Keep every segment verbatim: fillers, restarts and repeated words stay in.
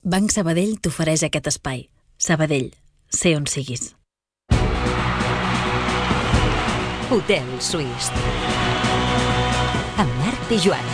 Banc Sabadell t'ofereix aquest espai. Sabadell, sé on siguis. Hotel Suís. Amb Marc i Joan.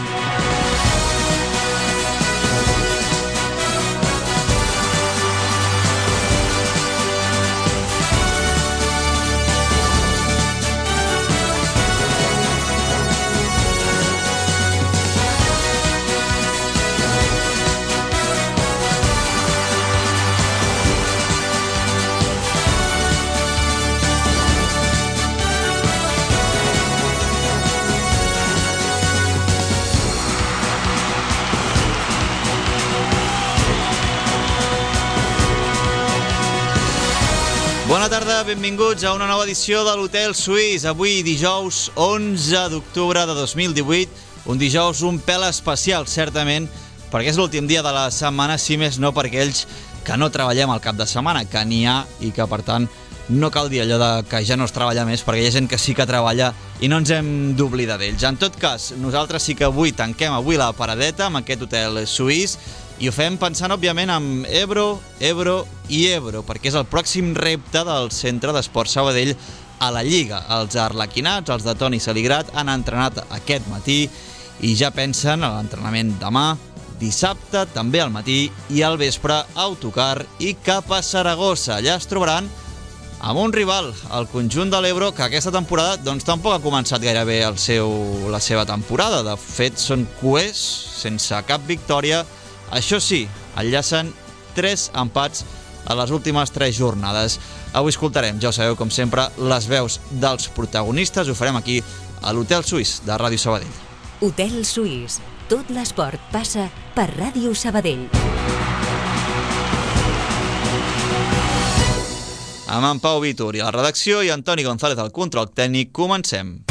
Bona tarda, benvinguts a una nova edició de l'Hotel Suís. Avui dijous onze d'octubre de dos mil divuit, un dijous un pèl especial, certament, perquè és l'últim dia de la setmana, si més no per aquells que no treballem al cap de setmana, que n'hi ha i que, per tant, no cal dir allò de que ja no es treballa més, perquè hi ha gent que sí que treballa i no ens hem d'oblidar d'ells. En tot cas, nosaltres sí que avui tanquem avui la paradeta amb aquest Hotel Suís, i ho fem pensant, òbviament, en Ebro, Ebro i Ebro, perquè és el pròxim repte del Centre d'Esport Sabadell a la Lliga. Els arlequinats, els de Toni Saligrat, han entrenat aquest matí i ja pensen a l'entrenament demà, dissabte, també al matí i al vespre, autocar i cap a Saragossa. Allà es trobaran amb un rival, el conjunt de l'Ebro, que aquesta temporada doncs, tampoc ha començat gaire bé el seu, la seva temporada. De fet, són cuers, sense cap victòria. Això sí, enllacen tres empats a les últimes tres jornades. Avui escoltarem, ja ho sabeu, com sempre, les veus dels protagonistes. Ho farem aquí a l'Hotel Suís de Ràdio Sabadell. Hotel Suís. Tot l'esport passa per Ràdio Sabadell. Amb en Pau Vítor i a la redacció i Antoni González al control tècnic, comencem.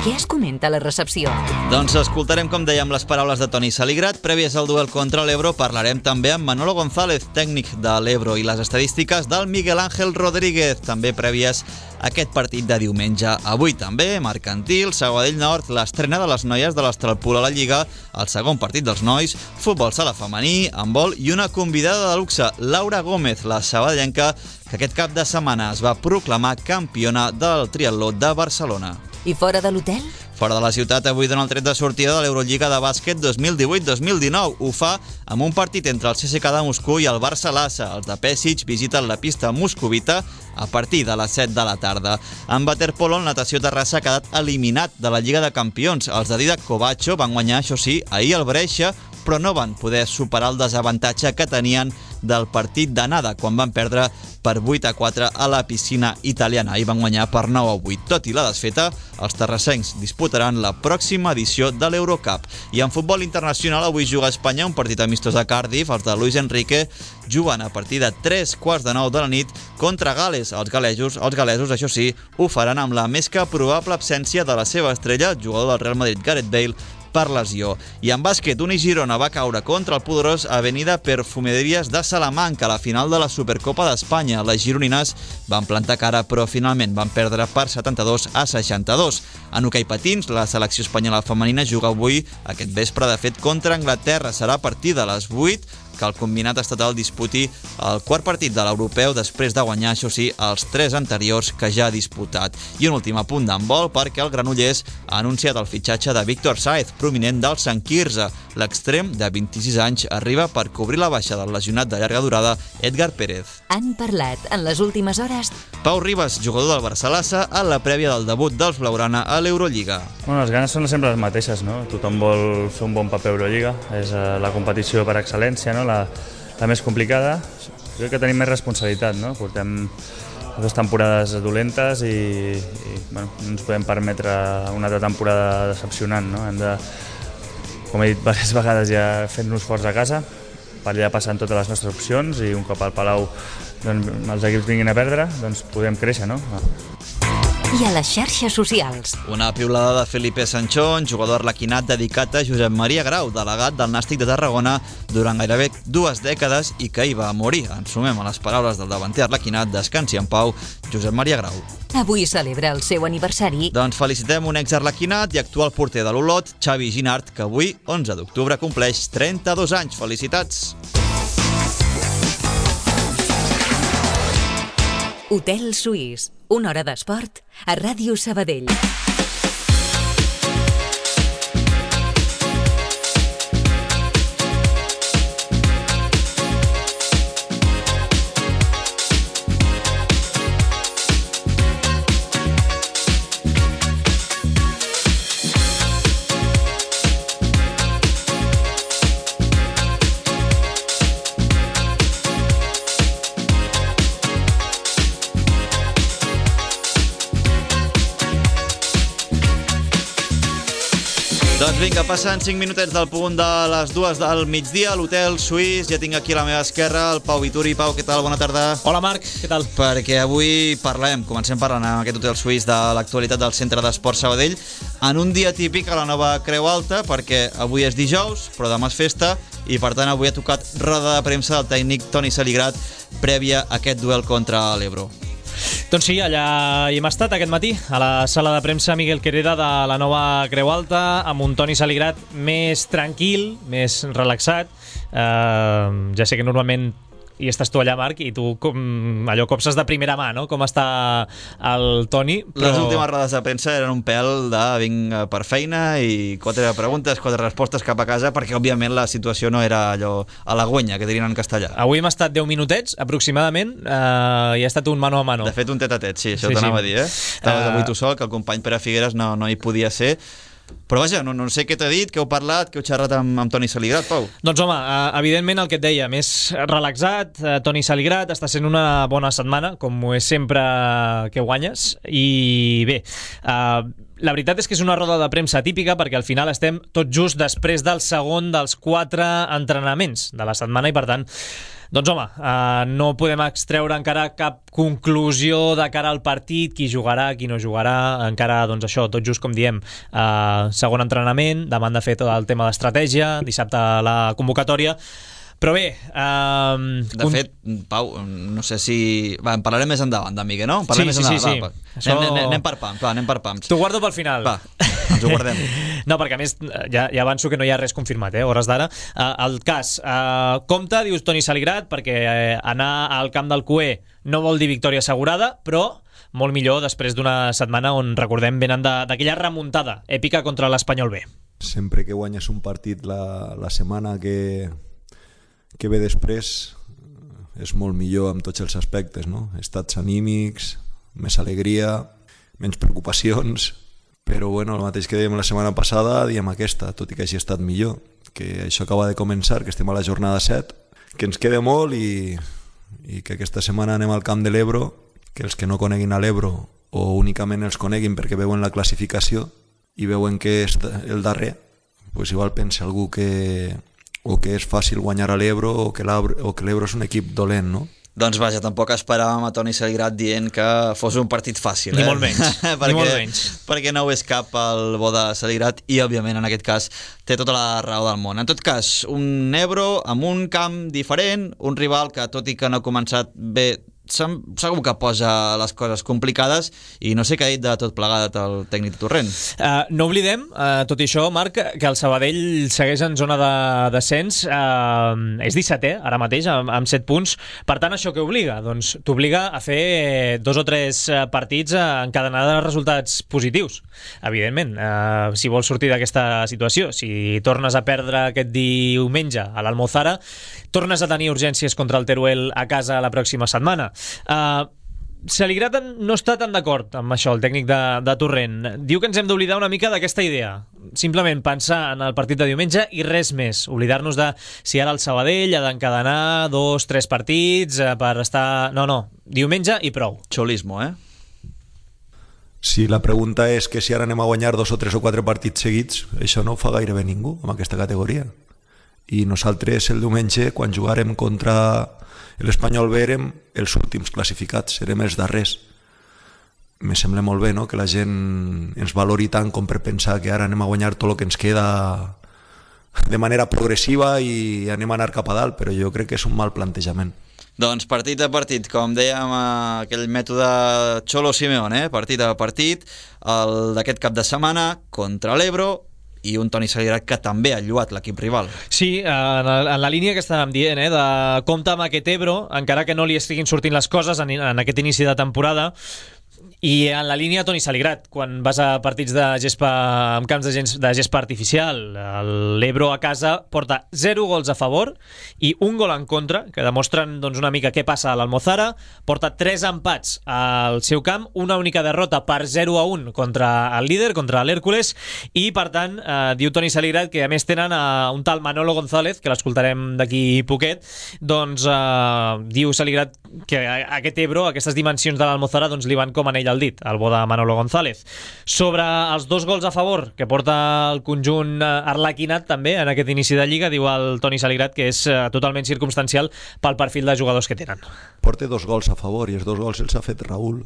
Què es comenta a la recepció? Doncs escoltarem, com dèiem, les paraules de Toni Saligrat. Prèvies al duel contra l'Ebro parlarem també amb Manolo González, tècnic de l'Ebro, i les estadístiques del Miguel Ángel Rodríguez, també prèvies a aquest partit de diumenge. Avui també, Mercantil, Sabadell Nord, l'estrena de les noies de l'Estralpul a la Lliga, el segon partit dels nois, futbol sala femení, handbol i una convidada de luxe, Laura Gómez, la sabadellenca, que aquest cap de setmana es va proclamar campiona del triatló de Barcelona. I fora de l'hotel? Fora de la ciutat, avui dona el tret de sortida de l'Eurolliga de bàsquet dos mil divuit dos mil dinou. Ho fa amb un partit entre el C S K de Moscou i el Barça Lassa. Els de Pesic visiten la pista moscovita a partir de les set de la tarda. En waterpolo, el Natació Terrassa ha quedat eliminat de la Lliga de Campions. Els de Didac Kovacho van guanyar, això sí, ahir el Brescia, però no van poder superar el desavantatge que tenien del partit d'anada, quan van perdre per vuit a quatre a la piscina italiana. Ahir van guanyar per nou a vuit. Tot i la desfeta, els terrassencs disputaran la pròxima edició de l'Eurocup. I en futbol internacional, avui juga a Espanya un partit amistós a Cardiff. Els de Luis Enrique juguen a partir de tres quarts de nou de la nit contra Gales. Els galesos, els galesos, això sí, ho faran amb la més que probable absència de la seva estrella, el jugador del Real Madrid, Gareth Bale, per lesió. I en bàsquet, Uni Girona va caure contra el poderós Avenida Perfumerías de Salamanca a la final de la Supercopa d'Espanya. Les gironines van plantar cara, però finalment van perdre per setanta-dos a seixanta-dos. En hoquei patins, la selecció espanyola femenina juga avui, aquest vespre, de fet, contra Anglaterra. Serà a partir de les vuit que el combinat estatal disputi el quart partit de l'europeu després de guanyar, això sí, els tres anteriors que ja ha disputat. I un últim apunt d'handbol, perquè el Granollers ha anunciat el fitxatge de Víctor Sáez, prominent del Sant Quirze. L'extrem, de vint-i-sis anys, arriba per cobrir la baixa del lesionat de llarga durada Edgar Pérez. Han parlat en les últimes hores Pau Ribas, jugador del Barça Lassa, a la prèvia del debut dels Blaugrana a l'Eurolliga. Bueno, les ganes són sempre les mateixes, no? Tothom vol fer un bon paper a Eurolliga, és la competició per excel·lència, no? La, la més complicada. Crec que tenim més responsabilitat, no? Portem dues temporades dolentes i, i bueno, no ens podem permetre una altra temporada decepcionant, no? Hem de, com he dit diverses vegades, ja fent-nos forts a casa, per allà passant totes les nostres opcions i un cop al Palau doncs, els equips vinguin a perdre, doncs podem créixer, no? i a les xarxes socials. Una piulada de Felipe Sanchón, jugador arlequinat dedicat a Josep Maria Grau, delegat del Nàstic de Tarragona durant gairebé dues dècades i que hi va morir. Ens sumem a les paraules del davanter arlequinat, descansi en pau, Josep Maria Grau. Avui celebra el seu aniversari. Doncs felicitem un ex-arlequinat i actual porter de l'Olot, Xavi Ginart, que avui, onze d'octubre, compleix trenta-dos anys. Felicitats! Hotel Suís, una hora d'esport a Ràdio Sabadell. Doncs vinga, passen cinc minutets del punt de les dues del migdia a l'Hotel Suís. Ja tinc aquí a la meva esquerra el Pau Vituri. Pau, què tal? Bona tarda. Hola, Marc, què tal? Perquè avui parlem, comencem parlant en aquest Hotel Suís de l'actualitat del Centre d'Esport Sabadell en un dia típic a la nova Creu Alta, perquè avui és dijous, però demà és festa i per tant avui ha tocat roda de premsa del tècnic Toni Saligrat prèvia a aquest duel contra l'Ebro. Doncs sí, allà hi hem estat aquest matí, a la sala de premsa Miguel Quereda de la nova Creu Alta, amb un Toni Saligrat més tranquil, més relaxat. Uh, ja sé que normalment hi estàs tu allà, Marc, i tu com, allò copses de primera mà, no?, com està el Toni. Però... Les últimes rodes de premsa eren un pèl de vinc per feina i quatre preguntes, quatre respostes cap a casa, perquè òbviament la situació no era allò halagüenya, que dirien en castellà. Avui hem estat deu minutets, aproximadament, uh, i ha estat un mano a mano. De fet, un tet-a-tet, sí, això sí, t'anava sí. a dir, eh? Estaves uh... avui tu sol, que el company Pere Figueres no, no hi podia ser. Però vaja, no, no sé què t'ha dit, què heu parlat, què heu xerrat amb, amb Toni Saligrat, Pau. Doncs home, evidentment el que et deia, més relaxat, Toni Saligrat, està sent una bona setmana, com ho és sempre que guanyes, i bé, uh, la veritat és que és una roda de premsa típica perquè al final estem tot just després del segon dels quatre entrenaments de la setmana i per tant, doncs home, uh, no podem extreure encara cap conclusió de cara al partit, qui jugarà, qui no jugarà, encara, doncs això, tot just com diem, uh, segon entrenament, demà han de fer tot el tema d'estratègia, dissabte la convocatòria. Però bé... Um, de fet, Pau, no sé si... Va, en parlarem més endavant, d'Amiga, no? En parlarem sí, més sí, endavant. sí, va, sí. Va. Això... Anem, anem, anem per pams, va, anem per pams. T'ho guardo pel final. Va, ens ho guardem. No, perquè a més, ja, ja avanço que no hi ha res confirmat, eh, hores d'ara. Uh, el cas, uh, compte, dius Toni Saligrat, perquè uh, anar al camp del C U E no vol dir victòria assegurada, però molt millor després d'una setmana on, recordem, venen d'aquella remuntada èpica contra l'Espanyol B. Sempre que guanyes un partit la, la setmana que, que ve després és molt millor amb tots els aspectes, no? Estats anímics, més alegria, menys preocupacions, però bueno, el mateix que dèiem la setmana passada diem aquesta, tot i que hagi estat millor, que això acaba de començar, que estem a la jornada set, que ens queda molt i, i que aquesta setmana anem al camp de l'Ebro, que els que no coneguin a l'Ebro o únicament els coneguin perquè veuen la classificació i veuen que és el darrer, pues igual pensa algú que o que és fàcil guanyar a l'Ebro o que l'Ebro és un equip dolent, no? Doncs vaja, tampoc esperàvem a Toni Saligrat dient que fos un partit fàcil, ni eh? Molt menys, perquè, ni molt menys. Perquè no ho és cap el bo de Saligrat i, òbviament, en aquest cas, té tota la raó del món. En tot cas, un Ebro amb un camp diferent, un rival que, tot i que no ha començat bé, segur que posa les coses complicades i no sé què ha dit de tot plegat el tècnic de Torrent. Uh, no oblidem, uh, tot i això, Marc, que el Sabadell segueix en zona de descens, uh, és dissetè ara mateix, amb, amb set punts, per tant això què obliga? Doncs t'obliga a fer dos o tres partits encadenats de resultats positius, evidentment, uh, si vols sortir d'aquesta situació. Si tornes a perdre aquest diumenge a l'Almozara, tornes a tenir urgències contra el Teruel a casa la pròxima setmana. Uh, Saligrat no està tan d'acord amb això, el tècnic de, de Torrent. Diu que ens hem d'oblidar una mica d'aquesta idea. Simplement pensar en el partit de diumenge i res més. Oblidar-nos de si ara el Sabadell ha d'encadenar dos, tres partits uh, per estar... No, no, diumenge i prou. Xolismo, eh? Si la pregunta és que si ara anem a guanyar dos o tres o quatre partits seguits, això no ho fa gairebé ningú en aquesta categoria. I nosaltres el diumenge, quan jugarem contra l'Espanyol B, érem els últims classificats, érem els darrers. me sembla molt bé, no?, que la gent ens valori tant com per pensar que ara anem a guanyar tot el que ens queda de manera progressiva i anem a anar cap a dalt, però jo crec que és un mal plantejament. Doncs partit a partit, com dèiem, aquell mètode Cholo Simeone, eh? partit a partit, el d'aquest cap de setmana contra l'Ebro, i un Toni Salirat que també ha lluat l'equip rival. Sí, en la, en la línia que estàvem dient, eh, de compte amb aquest Ebro, encara que no li estiguin sortint les coses en, en aquest inici de temporada, i en la línia Toni Saligrat, quan vas a partits de gespa amb camps de, gens, de gespa artificial, l'Ebro a casa porta zero gols a favor i un gol en contra, que demostren doncs, una mica què passa a l'Almozara, porta tres empats al seu camp, una única derrota per zero a un contra el líder, contra l'Hèrcules, i per tant, eh, diu Toni Saligrat que a més tenen a un tal Manolo González, que l'escoltarem d'aquí poquet, doncs eh, diu Saligrat que aquest Ebro, aquestes dimensions de l'Almozara, doncs li van com anell al dit, el bo de Manolo González. Sobre els dos gols a favor que porta el conjunt arlequinat també en aquest inici de Lliga, diu el Toni Saligrat que és totalment circumstancial pel perfil de jugadors que tenen. Porta dos gols a favor i els dos gols els ha fet Raúl.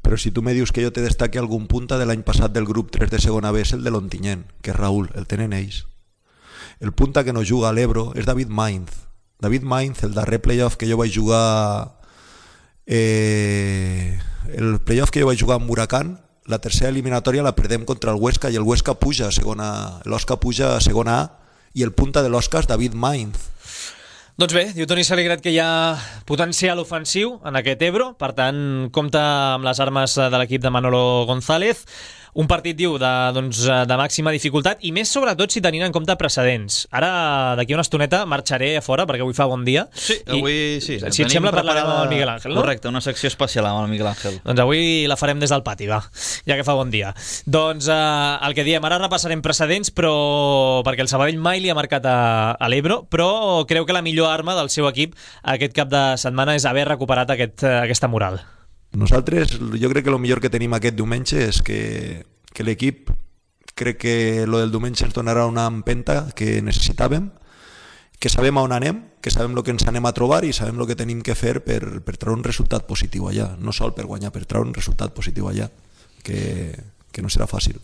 Però si tu me dius que jo te destaqui algun punta de l'any passat del grup tres de segona B és el de l'Ontinyent, que és Raúl, el tenen ells. El punta que no juga a l'Ebro és David Mainz. David Mainz, el darrer playoff que jo vaig jugar eh, el playoff que jo vaig jugar amb Huracán, la tercera eliminatòria la perdem contra el Huesca i el Huesca puja a segona, l'Osca puja a segona A i el punta de l'Osca és David Mainz. Doncs bé, diu Toni Saligrat que hi ha potencial ofensiu en aquest Ebro, per tant compta amb les armes de l'equip de Manolo González. Un partit, diu, de, doncs, de màxima dificultat i més sobretot si tenint en compte precedents. Ara, d'aquí una estoneta, marxaré a fora perquè avui fa bon dia. Sí, avui sí. Si et sembla, parlarem amb el Miguel Ángel, no? Correcte, una secció especial amb el Miguel Ángel. Doncs avui la farem des del pati, va, ja que fa bon dia. Doncs eh, el que diem, ara repassarem precedents, però perquè el Sabadell mai li ha marcat a, a l'Ebro, però creu que la millor arma del seu equip aquest cap de setmana és haver recuperat aquest, aquesta moral. Nosaltres, jo crec que el millor que tenim aquest diumenge és que, que l'equip, crec que lo del diumenge ens donarà una empenta que necessitàvem, que sabem on anem, que sabem el que ens anem a trobar i sabem el que tenim que fer per, per treure un resultat positiu allà, no sol per guanyar, per treure un resultat positiu allà, que, que no serà fàcil.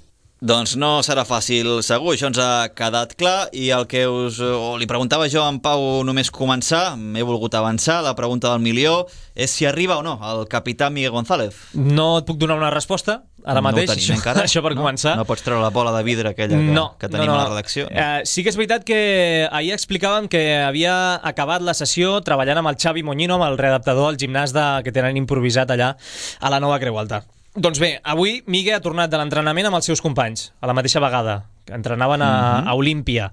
Doncs no serà fàcil, segur, això ens ha quedat clar, i el que us o li preguntava jo a en Pau només començar, m'he volgut avançar, la pregunta del milió és si arriba o no el capità Miguel González. No et puc donar una resposta ara no mateix, això, encara, això per no? començar. No pots treure la bola de vidre aquella que, no, que tenim no, no. a la redacció. No? Uh, sí que és veritat que ahir explicàvem que havia acabat la sessió treballant amb el Xavi Moñino, amb el readaptador al gimnàs de, que tenen improvisat allà a la nova Creu Alta. Doncs bé, avui Miguel ha tornat de l'entrenament amb els seus companys, a la mateixa vegada, que entrenaven a, mm-hmm. a Olímpia.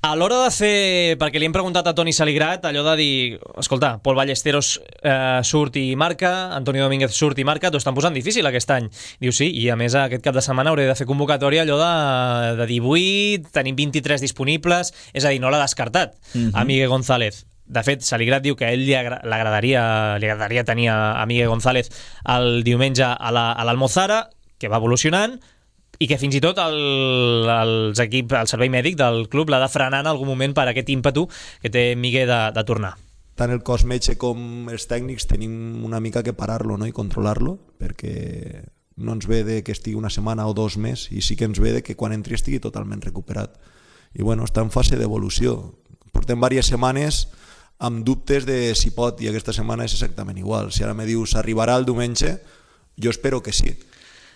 A l'hora de fer, perquè li hem preguntat a Toni Saligrat, allò de dir, escolta, Pol Ballesteros eh, surt i marca, Antonio Domínguez surt i marca, t'ho estan posant difícil aquest any. Diu sí, i a més aquest cap de setmana hauré de fer convocatòria allò de, de divuit, tenim vint-i-tres disponibles, és a dir, no l'ha descartat mm-hmm. a Miguel González. De fet, Saligrat diu que a ell li agradaria, li agradaria tenir a Miguel González el diumenge a l'Almozara, la, que va evolucionant, i que fins i tot el, els equip, el servei mèdic del club l'ha de frenar en algun moment per aquest ímpetu que té Miguel de, de tornar. Tant el cos metge com els tècnics tenim una mica que parar-lo, no? I controlar-lo, perquè no ens ve de que estigui una setmana o dos més, i sí que ens ve de que quan entri estigui totalment recuperat. I bueno, està en fase d'evolució. Portem diverses setmanes amb dubtes de si pot, i aquesta setmana és exactament igual. Si ara me dius arribarà el diumenge, jo espero que sí,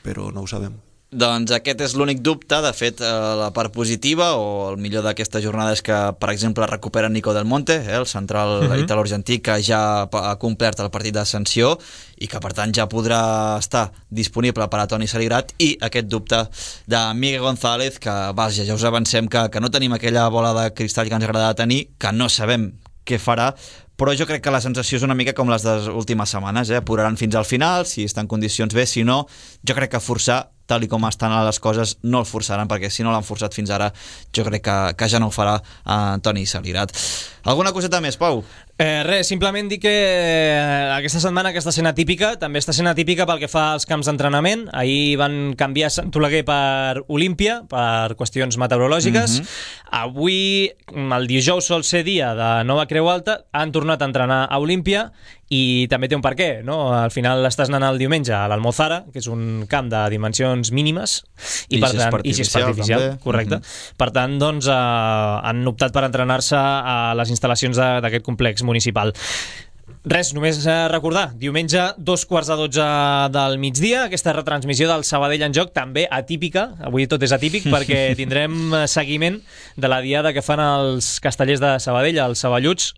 però no ho sabem. Doncs aquest és l'únic dubte. De fet, la part positiva o el millor d'aquesta jornada és que, per exemple, recupera Nico Del Monte, eh, el central uh-huh. italo-argentí, que ja ha complert el partit d'ascensió i que per tant ja podrà estar disponible per a Toni Saligrat, i aquest dubte de Miguel González, que vaja, ja us avancem que, que no tenim aquella bola de cristall que ens agrada tenir, que no sabem què farà, però jo crec que la sensació és una mica com les de les últimes setmanes, eh? Apuraran fins al final, si està en condicions bé, si no, jo crec que forçar, tal i com estan les coses, no el forçaran, perquè si no l'han forçat fins ara, jo crec que, que ja no ho farà eh, Toni Saligrat. Alguna coseta més, Pau? Eh, res, simplement dir que eh, aquesta setmana que està sent atípica, també està sent atípica pel que fa als camps d'entrenament. Ahir van canviar Sant Oleguer per Olímpia, per qüestions meteorològiques. Mm-hmm. Avui, el dijous sol ser dia de nova Creu Alta, han tornat a entrenar a Olímpia i també té un per què, no? Al final estàs anant el diumenge a l'Almozara, que és un camp de dimensions mínimes, i, I per si és tant, artificial, i si és artificial, també. correcte. Mm-hmm. Per tant, doncs, eh, han optat per entrenar-se a les instal·lacions d'aquest complex municipal. Res, només recordar, diumenge dos quarts de dotze del migdia, aquesta retransmissió del Sabadell en joc, també atípica, avui tot és atípic, perquè tindrem seguiment de la diada que fan els castellers de Sabadell, els saballuts.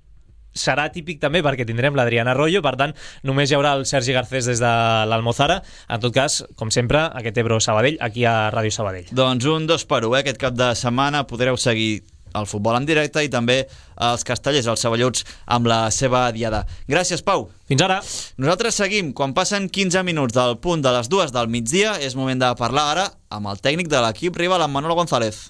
Serà típic també perquè tindrem l'Adriana Arroyo, per tant només hi haurà el Sergi Garcés des de l'Almozara. En tot cas, com sempre, aquest Ebro Sabadell aquí a Ràdio Sabadell. Doncs un dos per u, eh? Aquest cap de setmana podreu seguir el futbol en directe i també els castellers, els saballuts, amb la seva diada. Gràcies, Pau. Fins ara. Nosaltres seguim. Quan passen quinze minuts del punt de les dues del migdia, és moment de parlar ara amb el tècnic de l'equip rival, amb Manolo González.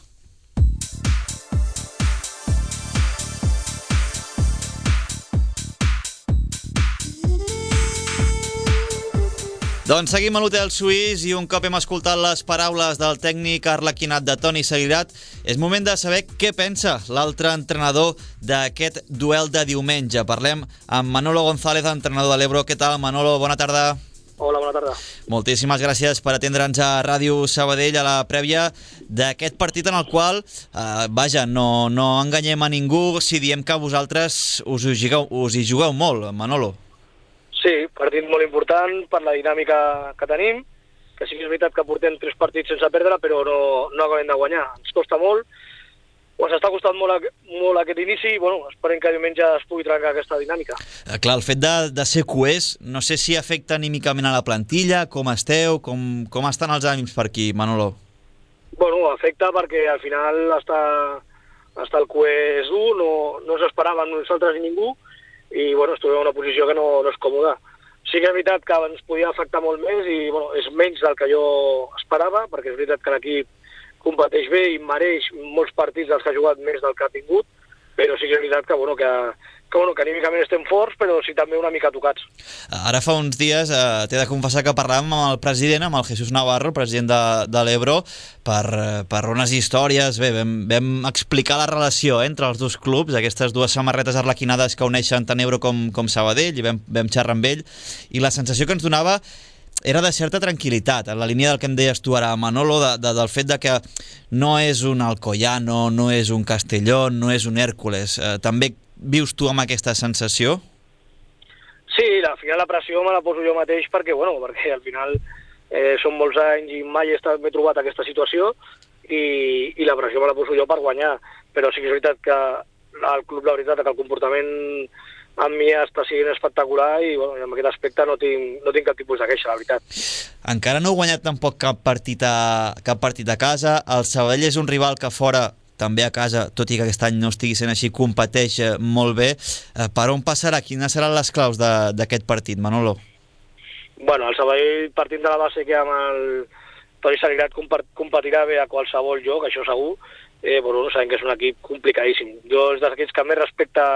Doncs seguim a l'Hotel Suís i un cop hem escoltat les paraules del tècnic arlequinat de Toni Seguirat, és moment de saber què pensa l'altre entrenador d'aquest duel de diumenge. Parlem amb Manolo González, entrenador de l'Ebro. Què tal, Manolo? Bona tarda. Hola, bona tarda. Moltíssimes gràcies per atendre'ns a Ràdio Sabadell a la prèvia d'aquest partit en el qual, eh, vaja, no, no enganyem a ningú si diem que vosaltres us hi jugueu, us hi jugueu molt, Manolo. Sí, partit molt important per la dinàmica que tenim, que sí que és veritat que portem tres partits sense perdre, però no, no acabem de guanyar. Ens costa molt, o ens està costant molt, molt aquest inici, i bueno, esperem que diumenge es pugui trencar aquesta dinàmica. Eh, clar, el fet de, de ser coers, no sé si afecta anímicament a la plantilla, com esteu, com, com estan els ànims per aquí, Manolo? Bueno, afecta perquè al final està, està el coer dur, no, no s'esperava nosaltres ni ningú, i bueno, es trobem en una posició que no, no és còmoda. Sí que és veritat que ens podia afectar molt més i bueno, és menys del que jo esperava, perquè és veritat que l'equip competeix bé i mereix molts partits dels que ha jugat més del que ha tingut, però sí que és veritat que, bueno, que, que, bueno, que anímicament estem forts, però sí també una mica tocats. Ara fa uns dies eh, t'he de confessar que parlàvem amb el president, amb el Jesús Navarro, el president de, de l'Ebro, per, per unes històries. Bé, vam, vam explicar la relació entre els dos clubs, aquestes dues samarretes arlequinades que uneixen tant Ebro com, com Sabadell, i vam, vam xerrar amb ell, i la sensació que ens donava era de certa tranquil·litat, en la línia del que em deies tu ara, Manolo, de, de, del fet de que no és un Alcoyano, no és un Castellón, no és un Hèrcules. Eh, també vius tu amb aquesta sensació? Sí, al final la pressió me la poso jo mateix perquè, bueno, perquè al final eh, són molts anys i mai he estat, m'he trobat aquesta situació i, i la pressió me la poso jo per guanyar, però sí que és veritat que el club, la veritat, que el comportament amb mi està sent espectacular i bueno, en aquest aspecte no tinc, no tinc cap tipus de queixa, la veritat. Encara no heu guanyat tampoc cap partit a, cap partit a casa. El Sabadell és un rival que fora, també a casa, tot i que aquest any no estigui sent així, competeix molt bé. Per on passarà? Quines seran les claus d'aquest partit, Manolo? Bueno, el Sabadell, partint de la base que amb el Toni Seguirat competirà bé a qualsevol joc, això segur, eh, bueno, sabem que és un equip complicadíssim. Jo és d'aquests que més respecte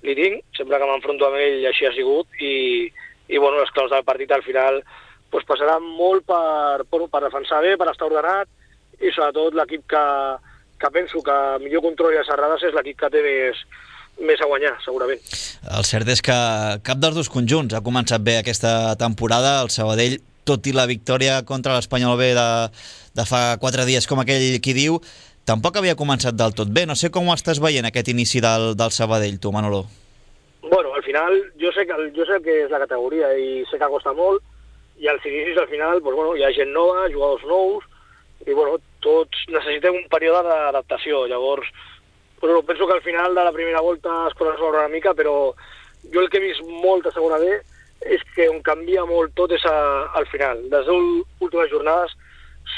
li tinc, sempre que m'enfronto amb ell així ha sigut, i, i bueno, les claus del partit al final pues, passaran molt per, per, per defensar bé, per estar ordenat, i sobretot l'equip que, que penso que millor controla les errades és l'equip que té més, més a guanyar, segurament. El cert és que cap dels dos conjunts ha començat bé aquesta temporada. El Sabadell, tot i la victòria contra l'Espanyol B de, de fa quatre dies, com aquell qui diu, tampoc havia començat del tot bé. No sé com ho estàs veient, aquest inici del, del Sabadell, tu, Manolo. Bueno, al final, jo sé, que, jo sé que és la categoria i sé que costa molt, i als inicis, al final, pues, bueno, hi ha gent nova, jugadors nous, i bueno, tots necessitem un període d'adaptació. Llavors, bueno, penso que al final de la primera volta es poden resoldre una mica, però jo el que he vist molt a segona B és que on canvia molt tot és a, al final. Les últimes jornades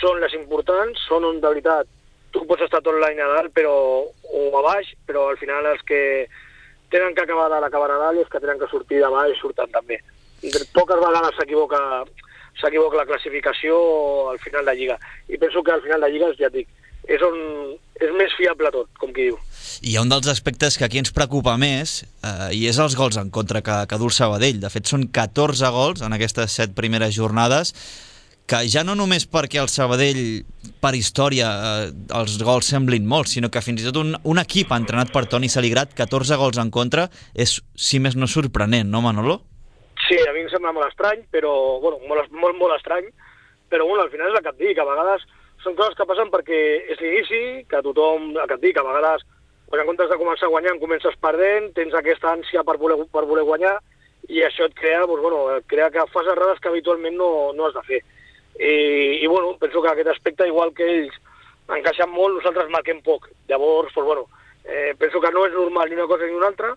són les importants, són on de veritat tu pots estar tot l'any a dalt però, o a baix, però al final els que tenen que acabar dalt acaben a dalt i els que tenen que sortir de baix surten també. Poques vegades s'equivoca s'equivoca la classificació al final de Lliga. I penso que al final de Lliga, ja et dic, és on és més fiable tot, com qui diu. I hi ha un dels aspectes que aquí ens preocupa més, eh, i és els gols en contra que, que du el Sabadell. De fet, són catorze gols en aquestes set primeres jornades, que ja no només perquè el Sabadell, per història, eh, els gols semblin molts, sinó que fins i tot un, un equip entrenat per Toni Saligrat, catorze gols en contra, és, si més no, sorprenent, no, Manolo? Sí, a mi em sembla molt estrany, però, bueno, molt, molt, molt estrany, però, bueno, al final és el que et dic, a vegades són coses que passen perquè és l'inici, que tothom, el que et dic, a vegades, quan en comptes de començar guanyant, comences perdent, tens aquesta ànsia per voler, per voler guanyar, i això et crea, doncs, bueno, et crea que fas errades que habitualment no, no has de fer. I, i bueno, penso que aquest aspecte, igual que ells encaixen molt, nosaltres marquem poc. Llavors, doncs, bueno, eh, penso que no és normal ni una cosa ni una altra,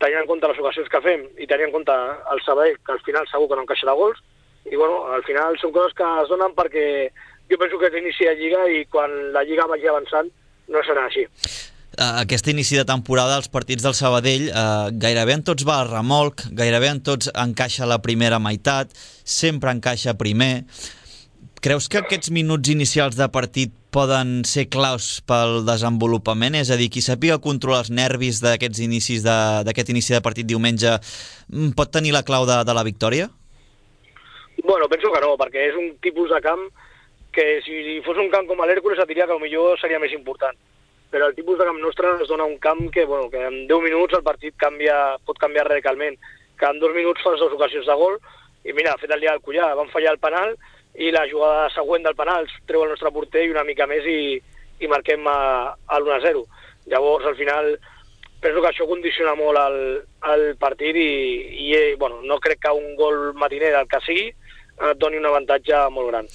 tenint en compte les ocasions que fem i tenint en compte el Sabadell, que al final segur que no encaixarà gols, i bueno, al final són coses que es donen perquè jo penso que és l'inici de Lliga i quan la Lliga vagi avançant no serà així. Aquest inici de temporada, els partits del Sabadell, eh, gairebé en tots va a remolc, gairebé en tots encaixa la primera meitat, sempre encaixa primer. Creus que aquests minuts inicials de partit poden ser claus pel desenvolupament? És a dir, qui sàpiga controlar els nervis d'aquests inicis d'aquest inici de partit diumenge pot tenir la clau de, de la victòria? Bueno, penso que no, perquè és un tipus de camp que si fos un camp com l'Hèrcules et diria que potser seria més important. Però el tipus de camp nostre ens dona un camp que, bueno, que en deu minuts el partit canvia, pot canviar radicalment. Que en dos minuts fas dues ocasions de gol i mira, ha fet el dia del Cullà, van fallar el penal i la jugada següent del penal treu el nostre porter i una mica més i, i marquem a, a l'u a zero. Llavors, al final, penso que això condiciona molt el, el partit i, i bueno, no crec que un gol matiner del que sigui et doni un avantatge molt gran.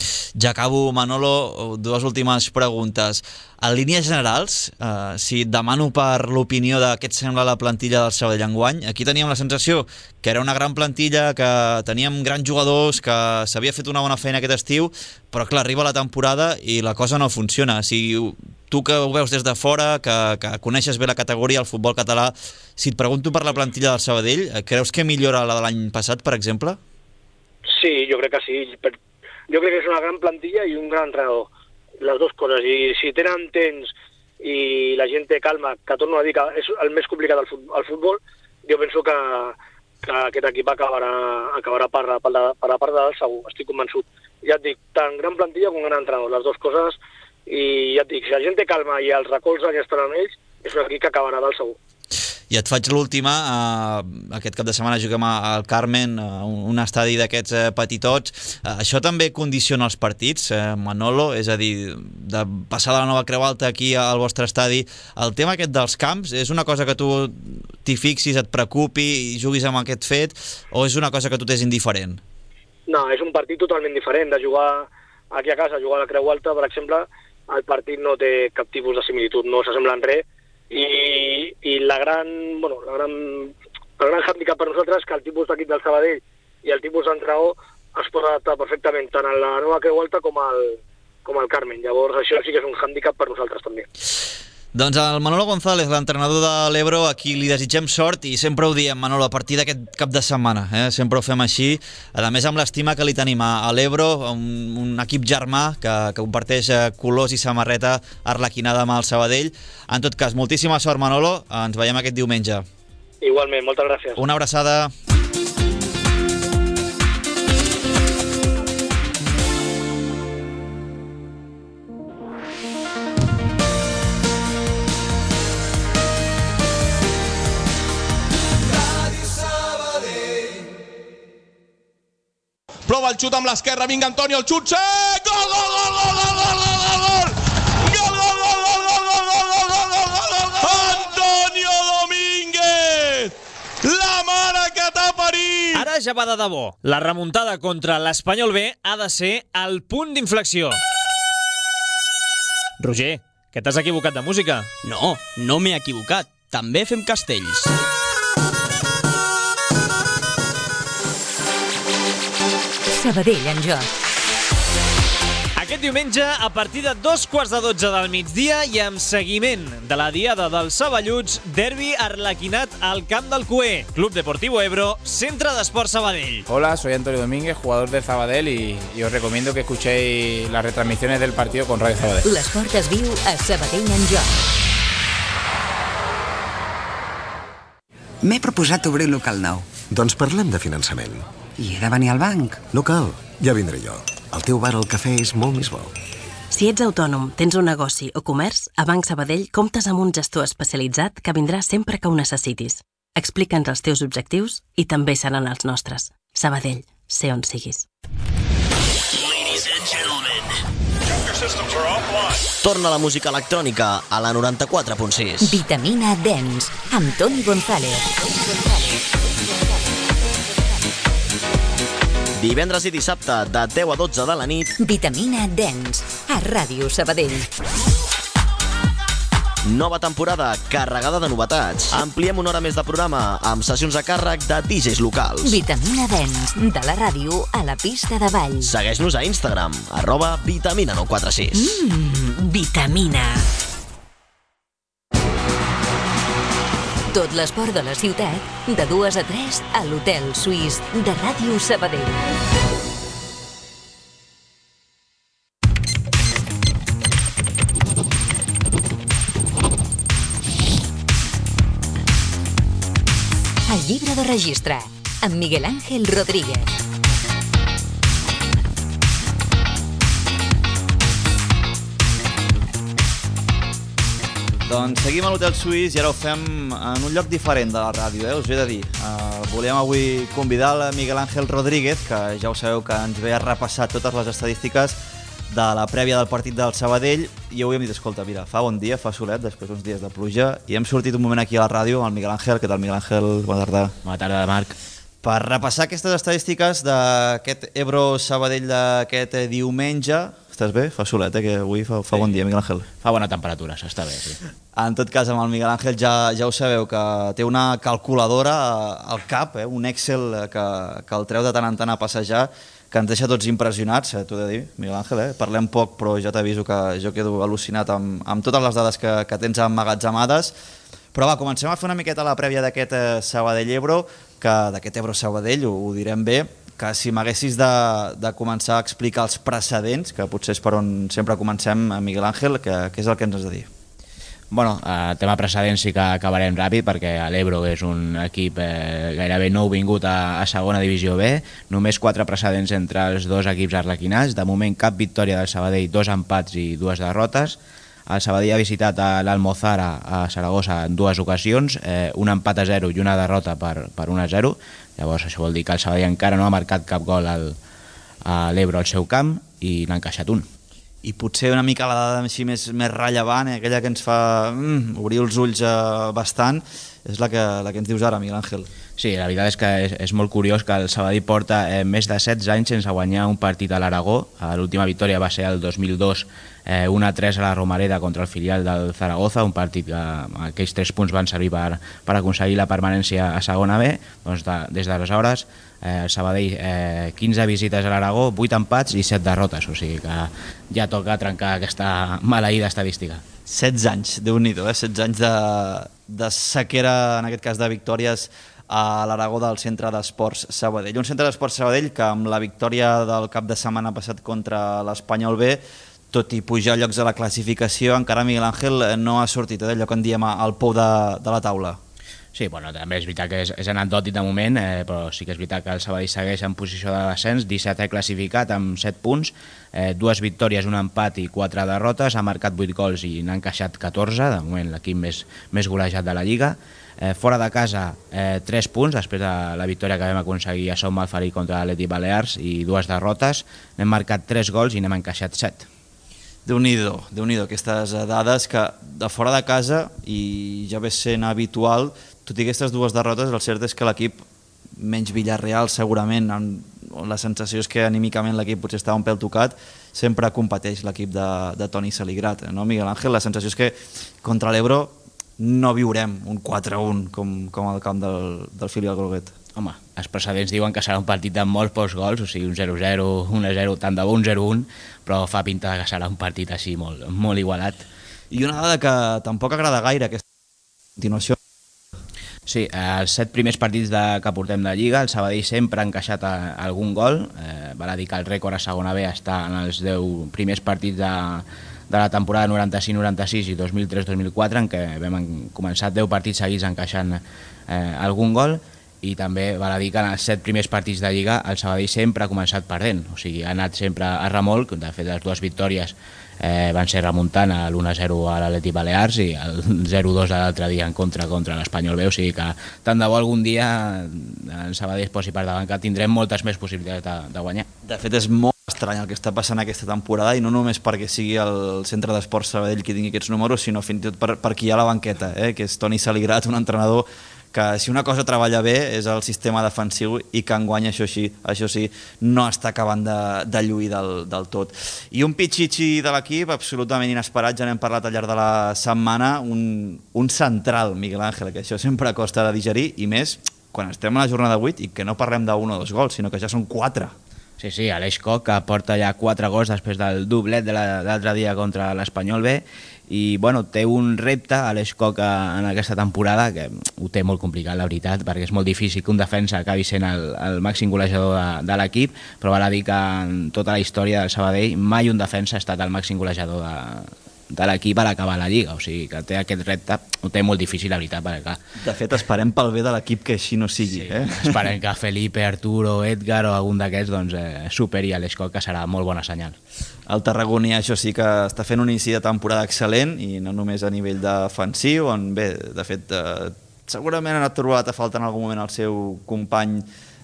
Ja acabo, Manolo, dues últimes preguntes. En línies generals, eh, si et demano per l'opinió de què et sembla la plantilla del Sabadell enguany, aquí teníem la sensació que era una gran plantilla, que teníem grans jugadors, que s'havia fet una bona feina aquest estiu, però clar, arriba la temporada i la cosa no funciona. Si tu que ho veus des de fora, que, que coneixes bé la categoria, el futbol català, si et pregunto per la plantilla del Sabadell, creus que millora la de l'any passat, per exemple? Sí, jo crec que sí. Jo crec que és una gran plantilla i un gran entrenador. Les dues coses. I si tenen temps i la gent té calma, que torno a dir que és el més complicat al futbol, al futbol jo penso que, que aquest equip acabarà, acabarà per, per, la, per la part de dalt segur, estic convençut. Ja et dic, tant gran plantilla com gran entrenador, les dues coses, i ja et dic, si la gent té calma i els recolzen i estan amb ells, és un equip que acabarà dalt segur. I et faig l'última, eh, aquest cap de setmana juguem al Carmen, eh, un estadi d'aquests eh, petitots. Eh, això també condiciona els partits, eh, Manolo, és a dir, de passar de la Nova Creu Alta aquí al vostre estadi. El tema aquest dels camps, és una cosa que tu t'hi fixis, et preocupi i juguis amb aquest fet, o és una cosa que tu t'és indiferent? No, és un partit totalment diferent. De jugar aquí a casa, jugar a la Creu Alta, per exemple, el partit no té cap tipus de similitud, no s'assembla en res. I, i la gran, bueno, la gran, el gran hàndicap per nosaltres és que el tipus d'equip del Sabadell i el tipus d'entrenador es pot adaptar perfectament tant a la Nova Creu Alta com al, com al Carmen. Llavors això sí que és un hàndicap per nosaltres també. Doncs el Manolo González, l'entrenador de l'Ebro, aquí li desitgem sort i sempre ho diem, Manolo, a partir d'aquest cap de setmana, eh? Sempre ho fem així, a més amb l'estima que li tenim a l'Ebro, un, un equip germà que, que comparteix colors i samarreta arlequinada amb el Sabadell. En tot cas, moltíssima sort, Manolo, ens veiem aquest diumenge. Igualment, moltes gràcies. Una abraçada. Prova el xut amb l'esquerra, vinga Antonio, el xut, sí! Gol, gol, gol, gol, gol, gol, gol, gol! Gol, gol, gol, gol, gol, gol, gol, gol, gol, gol! Antonio Domínguez! La mare que t'ha parit! Ara ja va de debò. La remuntada contra l'Espanyol B ha de ser el punt d'inflexió. Roger, que t'has equivocat de música. No, no m'he equivocat. També fem castells. Sabadell en joc. Aquest diumenge, a partir de dos quarts de dotze del migdia i amb seguiment de la diada dels Saballuts, derbi arlequinat al Camp del Cué, Club Deportivo Ebro, Centre d'Esport Sabadell. Hola, soy Antonio Domínguez, jugador de Sabadell y, y os recomiendo que escuchéis las retransmisiones del partido con Radio Sabadell. L'esport es viu a Sabadell en joc. M'he proposat obrir un local nou. Doncs parlem de finançament. I he de venir al banc. No cal, ja vindré jo. El teu bar al cafè és molt més bo. Si ets autònom, tens un negoci o comerç, a Banc Sabadell comptes amb un gestor especialitzat que vindrà sempre que ho necessitis. Explica'ns els teus objectius i també seran els nostres. Sabadell, sé on siguis. Torna la música electrònica a la noranta-quatre punt sis. Vitamina Dance, amb Toni González. Divendres i dissabte, de deu a dotze de la nit. Vitamina Dance, a Ràdio Sabadell. Nova temporada, carregada de novetats. Ampliem una hora més de programa, amb sessions a càrrec de D Js locals. Vitamina Dance, de la ràdio a la pista de ball. Segueix-nos a Instagram, arroba vitamina nou quatre sis. Mmm, vitamina. Tot l'esport de la ciutat, de dues a tres, a l'Hotel Suís de Ràdio Sabadell. El llibre de registre, amb Miguel Ángel Rodríguez. Doncs seguim a l'Hotel Suís i ara ho fem en un lloc diferent de la ràdio, eh? Us ho he de dir. Uh, volíem avui convidar el Miguel Ángel Rodríguez, que ja ho sabeu que ens ve a repassar totes les estadístiques de la prèvia del partit del Sabadell, i avui hem dit, escolta, mira, fa bon dia, fa solet, després uns dies de pluja, i hem sortit un moment aquí a la ràdio amb el Miguel Ángel. Què tal, Miguel Ángel? Bona tarda. Bona tarda, Marc. Per repassar aquestes estadístiques d'aquest Ebro-Sabadell d'aquest diumenge. Estàs bé? Fa solet, eh? Que avui fa, fa sí. Bon dia, Miguel Ángel. Fa bona temperatura, s'està bé, sí. En tot cas, amb el Miguel Ángel ja, ja ho sabeu, que té una calculadora al cap, eh? Un Excel que, que el treu de tant en tant a passejar, que ens deixa tots impressionats, eh? T'ho he de dir, Miguel Ángel, eh? Parlem poc, però ja t'aviso que jo quedo al·lucinat amb, amb totes les dades que, que tens emmagatzemades. Però va, comencem a fer una miqueta la prèvia d'aquest eh, Sabadell-Ebro, que d'aquest Ebro-Sabadell, ho, ho direm bé, que si m'haguessis de, de començar a explicar els precedents, que potser és per on sempre comencem, Miguel Ángel, que, que és el que ens has de dir? Bueno, el tema precedents sí que acabarem ràpid, perquè l'Ebro és un equip eh, gairebé nou vingut a, a segona divisió B, només quatre precedents entre els dos equips arlequinats, de moment cap victòria del Sabadell, dos empats i dues derrotes. El Sabadell ha visitat l'Almozara a Saragossa en dues ocasions, eh, un empat a zero i una derrota per, per un a zero. Llavors això vol dir que el Sabadell encara no ha marcat cap gol al, a l'Ebro al seu camp i n'ha encaixat un. I potser una mica la dada així més, més rellevant, eh, aquella que ens fa mm, obrir els ulls eh, bastant, és la que, la que ens dius ara, Miguel Ángel. Sí, la veritat és que és, és molt curiós que el Sabadell porta eh, més de setze anys sense guanyar un partit a l'Aragó. L'última victòria va ser el dos mil dos, eh, un a tres a la Romareda contra el filial del Zaragoza, un partit que aquells tres punts van servir per, per aconseguir la permanència a segona B. Doncs de, des d'aleshores eh, el Sabadell eh, quinze visites a l'Aragó, vuit empats i set derrotes, o sigui que ja toca trencar aquesta maleïda estadística. setze anys, Déu-n'hi-do, eh? setze anys de, de sequera, en aquest cas de victòries a l'Aragó del Centre d'Esports Sabadell. Un Centre d'Esports Sabadell que amb la victòria del cap de setmana passat contra l'Espanyol B, tot i pujar llocs a la classificació, encara Miguel Ángel no ha sortit eh, d'allò que en diem al pou de, de la taula. Sí, bueno, també és veritat que és, és anecdòtic de moment, eh, però sí que és veritat que el Sabadell segueix en posició de descens, dissetè classificat amb set punts, eh, dues victòries, un empat i quatre derrotes, ha marcat vuit gols i n'ha encaixat catorze, de moment l'equip més, més golejat de la Lliga. Eh, fora de casa, eh, tres punts, després de la victòria que vam aconseguir a Som Malferit contra l'Atlètic Balears i dues derrotes, n'hem marcat tres gols i n'hem encaixat set. Déu-n'hi-do, Déu-n'hi-do, aquestes dades que de fora de casa, i ja ve sent habitual, tot i aquestes dues derrotes, el cert és que l'equip, menys Villarreal segurament, amb la sensació és que anímicament l'equip potser estava un pèl tocat, sempre competeix l'equip de, de Toni Saligrat, no, Miguel Ángel? La sensació és que contra l'Ebro no viurem un quatre a un com, com al camp del, del filial groguet. Home, els precedents diuen que serà un partit de molts pocs gols, o sigui, un zero zero, un a zero, tant de bo un zero un, però fa pinta que serà un partit així molt, molt igualat. I una dada que tampoc agrada gaire, aquesta continuació. Sí, els set primers partits de, que portem de Lliga, el Sabadell sempre ha encaixat a, a algun gol, eh, val a dir que el rècord a segona B està en els deu primers partits de, de la temporada noranta-cinc noranta-sis i dos mil tres dos mil quatre, en què vam començar deu partits seguits encaixant eh, algun gol, i també val a dir que en els set primers partits de Lliga el Sabadell sempre ha començat perdent, o sigui, ha anat sempre a remolc. De fet, les dues victòries eh, van ser remuntant l'u a zero a l'Atlètic Balears i el zero dos de l'altre dia en contra contra l'Espanyol B, o sigui que tant de bo algun dia el Sabadell es posi per davant, que tindrem moltes més possibilitats de, de guanyar. De fet, és molt estrany el que està passant aquesta temporada, i no només perquè sigui el Centre d'Esports Sabadell qui tingui aquests números, sinó fins i tot per, per qui hi ha a la banqueta, eh, que és Toni Saligrat, un entrenador que si una cosa treballa bé és el sistema defensiu i que enguany això sí, això sí no està acabant de, de lluir del, del tot. I un pitxitxi de l'equip absolutament inesperat, ja n'hem parlat al llarg de la setmana, un, un central, Miguel Ángel, que això sempre costa de digerir, i més quan estem a la jornada vuit i que no parlem d'un o dos gols, sinó que ja són quatre. Sí, sí, Aleix Koch, que porta ja quatre gols després del doblet de l'altre dia contra l'Espanyol B, i bueno, té un repte Aleix Koch en aquesta temporada que ho té molt complicat, la veritat, perquè és molt difícil que un defensa acabi sent el, el màxim golejador de, de l'equip, però val a dir que en tota la història del Sabadell mai un defensa ha estat el màxim golejador de, de l'equip a l'acabar la Lliga, o sigui que té aquest repte, ho té molt difícil, la veritat, perquè clar... De fet, esperem pel bé de l'equip que així no sigui. Sí, eh? Esperem que Felipe, Arturo, Edgar o algun d'aquests doncs, eh, superi a l'Aleix Koch, que serà molt bona senyal. El tarragoní, això sí que està fent un inici de temporada excel·lent, i no només a nivell defensiu, on bé, de fet, eh, segurament ha trobat a falta en algun moment el seu company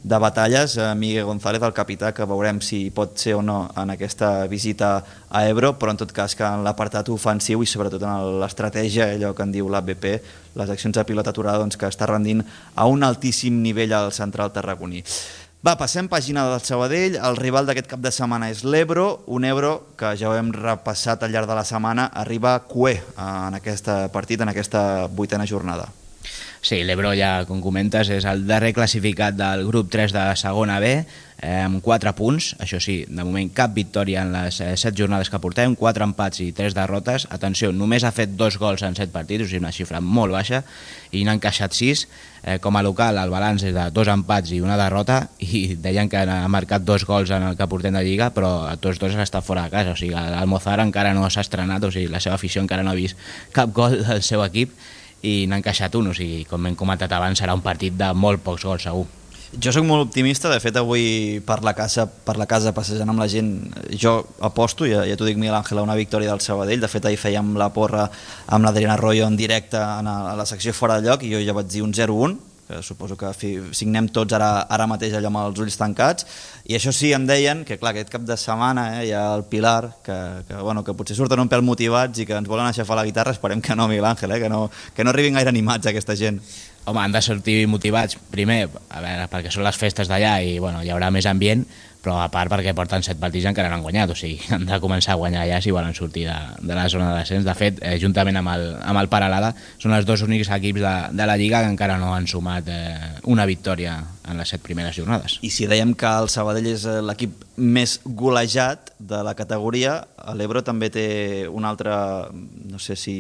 de batalles, Miguel González, el capità, que veurem si pot ser o no en aquesta visita a Ebro, però en tot cas que en l'apartat ofensiu i sobretot en l'estratègia, allò que en diu l'A B P, les accions de pilota aturada, doncs, que està rendint a un altíssim nivell al central tarragoní. Va, passem pàgina del Sabadell. El rival d'aquest cap de setmana és l'Ebro, un Ebro que ja ho hem repassat al llarg de la setmana, arriba cué en aquest partit, en aquesta vuitena jornada. Sí, l'Ebro, ja com comentes, és el darrer classificat del grup tres de segona B, eh, amb quatre punts. Això sí, de moment cap victòria en les eh, set jornades que portem, quatre empats i tres derrotes. Atenció, només ha fet dos gols en set partits, o sigui, una xifra molt baixa, i n'ha encaixat sis. Eh, com a local, el balanç és de dos empats i una derrota, i deien que ha marcat dos gols en el que portem de Lliga, però a tots dos està fora de casa. O sigui, l'Almozar encara no s'ha estrenat, o sigui, la seva afició encara no ha vist cap gol del seu equip, i n'ha encaixat un, o sigui, com hem comentat abans, serà un partit de molt pocs gols, segur. Jo sóc molt optimista, de fet avui per la casa, per la casa passejant amb la gent, jo aposto, ja, ja t'ho dic Miguel Ángel, a una victòria del Sabadell. De fet ahir fèiem la porra amb l'Adriana Arroyo en directe a la secció Fora de Lloc, i jo ja vaig dir un zero un, que suposo que signem tots ara, ara mateix allò amb els ulls tancats, i això sí, em deien que clar, aquest cap de setmana eh, hi ha el Pilar, que, que, bueno, que potser surten un pèl motivats i que ens volen aixafar la guitarra. Esperem que no, Miguel Ángel, eh, que, no, que no arribin gaire animats aquesta gent. Home, han de sortir motivats, primer, a veure, perquè són les festes d'allà i bueno, hi haurà més ambient, però a part perquè porten set partits i encara no han guanyat, o sigui, han de començar a guanyar allà si volen sortir de, de la zona de descens. De fet, eh, juntament amb el, amb el Paralada, són els dos únics equips de, de la Lliga que encara no han sumat eh, una victòria en les set primeres jornades. I si dèiem que el Sabadell és l'equip més golejat de la categoria, l'Ebro també té una altra, no sé si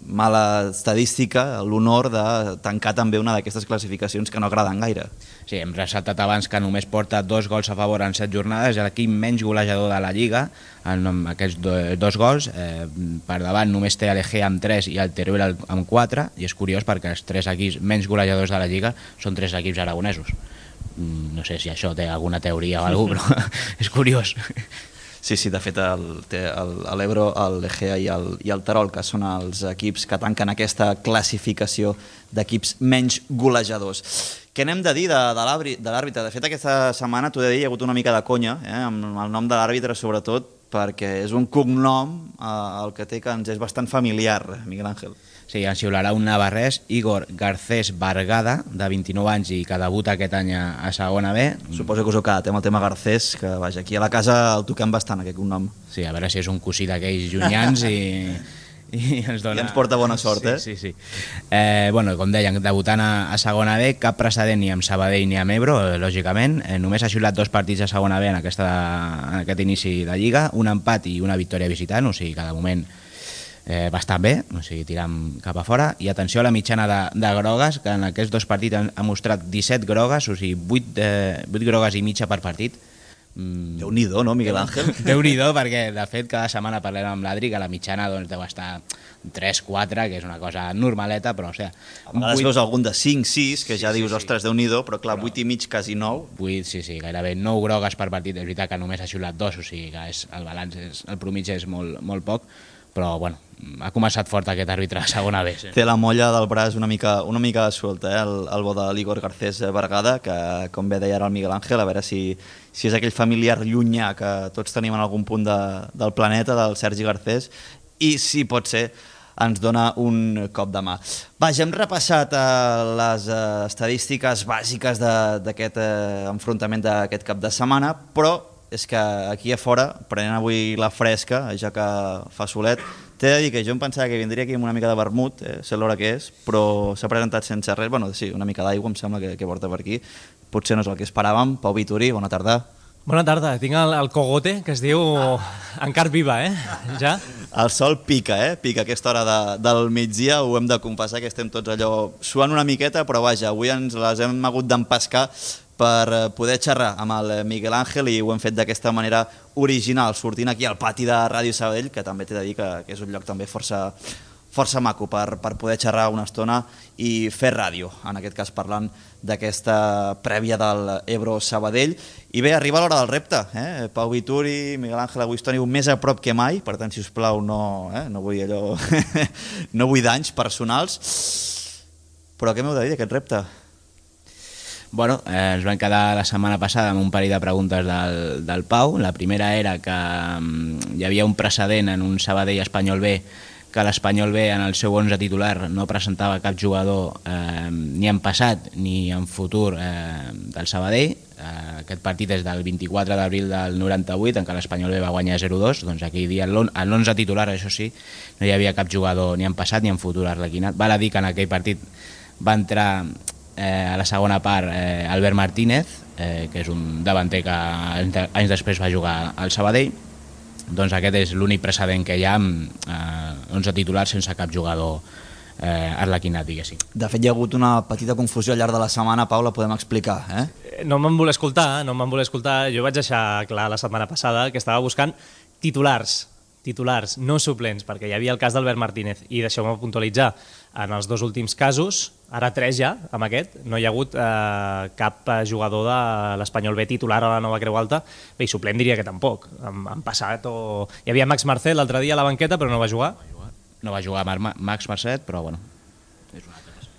mala estadística, l'honor de tancar també una d'aquestes classificacions que no agraden gaire. Sí, hem ressaltat abans que només porta dos gols a favor en set jornades, l'equip menys golejador de la Lliga, amb aquests dos gols. Eh, per davant només té l'Egea amb tres i el Teruel amb quatre, i és curiós perquè els tres equips menys golejadors de la Lliga són tres equips aragonesos. No sé si això té alguna teoria o alguna cosa, però és curiós. Sí, sí, de fet l'Ebro, l'Egea i, el, i el Terol, que són els equips que tanquen aquesta classificació d'equips menys golejadors. Què n'hem de dir de, de l'àrbitre? De fet, aquesta setmana, t'ho he de dir, hi ha hagut una mica de conya, eh, amb el nom de l'àrbitre, sobretot, perquè és un cognom eh, el que té que ens és bastant familiar, Miguel Ángel. Sí, ens xiularà un navarrès, Igor Garcés Bargada, de vint-i-nou anys i que debuta aquest any a segona B. Suposo que us heu quedat amb el tema Garcés, que vaja, aquí a la casa el toquem bastant, aquest cognom. Sí, a veure si és un cosí d'aquells llunyans i, i ens, dona... I ens porta bona sort, sí, eh? Sí, sí. Eh, bueno, com deien, debutant a, a segona B, cap precedent ni amb Sabadell ni amb Ebro, eh, lògicament. Eh, només ha xiulat dos partits a segona B en, aquesta, en aquest inici de Lliga, un empat i una victòria visitant, o sigui que de moment eh, va estar bé, o sigui, tirant cap a fora. I atenció a la mitjana de, de grogues, que en aquests dos partits han, ha mostrat disset grogues, o sigui, vuit, eh, vuit grogues i mitja per partit. Mm. Déu-n'hi-do, no, Miguel Ángel? Déu-n'hi-do, perquè de fet cada setmana parlem amb l'Adri que la mitjana doncs, deu estar tres quatre, que és una cosa normaleta, però o sigui... A vegades vuit... veus algun de cinc sis, que ja sí, dius, sí, ostres, Déu-n'hi-do, però clar, vuit i mig, quasi nou. vuit, sí, sí, gairebé nou grogues per partit, és veritat que només ha xiulat dos, o sigui que és, el balanç, és, el promitge és molt, molt poc, però bueno, ha començat fort aquest àrbitre a segona B. Sí. Té la molla del braç una mica, una mica suelta, eh? el, el bo de l'Igor Garcés Bergada, que com bé deia ara el Miguel Ángel, a veure si, si és aquell familiar llunyà que tots tenim en algun punt de, del planeta, del Sergi Garcés, i si pot ser ens dona un cop de mà. Vaja, hem repassat eh, les eh, estadístiques bàsiques d'aquest eh, enfrontament d'aquest cap de setmana, però és que aquí a fora, prenent avui la fresca, ja que fa solet, t'he de dir que jo em pensava que vindria aquí amb una mica de vermut, eh, sé l'hora que és, però s'ha presentat sense res, bueno, sí, una mica d'aigua em sembla que, que porta per aquí, potser no és el que esperàvem. Pau Vituri, bona tarda. Bona tarda, tinc el, el cogote, que es diu encara viva, eh? Ja? El sol pica, eh? Pica a aquesta hora de, del migdia, ho hem de confessar que estem tots allò suant una miqueta, però vaja, avui ens les hem hagut d'empescar per poder xerrar amb el Miguel Ángel i ho hem fet d'aquesta manera original, sortint aquí al pati de Ràdio Sabadell, que també t'he de dir que, que és un lloc també força, força maco per, per poder xerrar una estona i fer ràdio, en aquest cas parlant d'aquesta prèvia del Ebro Sabadell. I bé, arriba l'hora del repte, eh? Pau Vituri, Miguel Ángel, avui estoniu més a prop que mai, per tant, si us plau, no, eh? no vull allò, no vull danys personals, però què m'heu de dir d'aquest repte? Bueno, eh, ens vam quedar la setmana passada amb un parell de preguntes del, del Pau. La primera era que um, hi havia un precedent en un Sabadell Espanyol B, que l'Espanyol B en el seu onze titular no presentava cap jugador eh, ni en passat ni en futur eh, del Sabadell. Eh, aquest partit és del vint-i-quatre d'abril del noranta-vuit, en què l'Espanyol B va guanyar zero dos, doncs aquell dia en l'onze titular, això sí, no hi havia cap jugador ni en passat ni en futur arlequinat. Val a dir que en aquell partit va entrar Eh, a la segona part eh, Albert Martínez, eh, que és un davanter que anys després va jugar al Sabadell. Doncs aquest és l'únic precedent que hi ha amb eh, onze titulars sense cap jugador eh, arlequinat, diguéssim. De fet, hi ha hagut una petita confusió al llarg de la setmana, Pau, la podem explicar, eh? No me'n voler escoltar, no me'n voler escoltar. Jo vaig deixar clar la setmana passada que estava buscant titulars, titulars, no suplents, perquè hi havia el cas d'Albert Martínez, i deixeu-me puntualitzar, en els dos últims casos, ara tres ja, amb aquest, no hi ha hagut eh, cap jugador de l'Espanyol B titular a la Nova Creu Alta. Bé, i suplent diria que tampoc. Han, han passat o... Hi havia Max Marcet l'altre dia a la banqueta, però no va jugar. No va jugar Max Marcet, però bueno, és una altra cosa.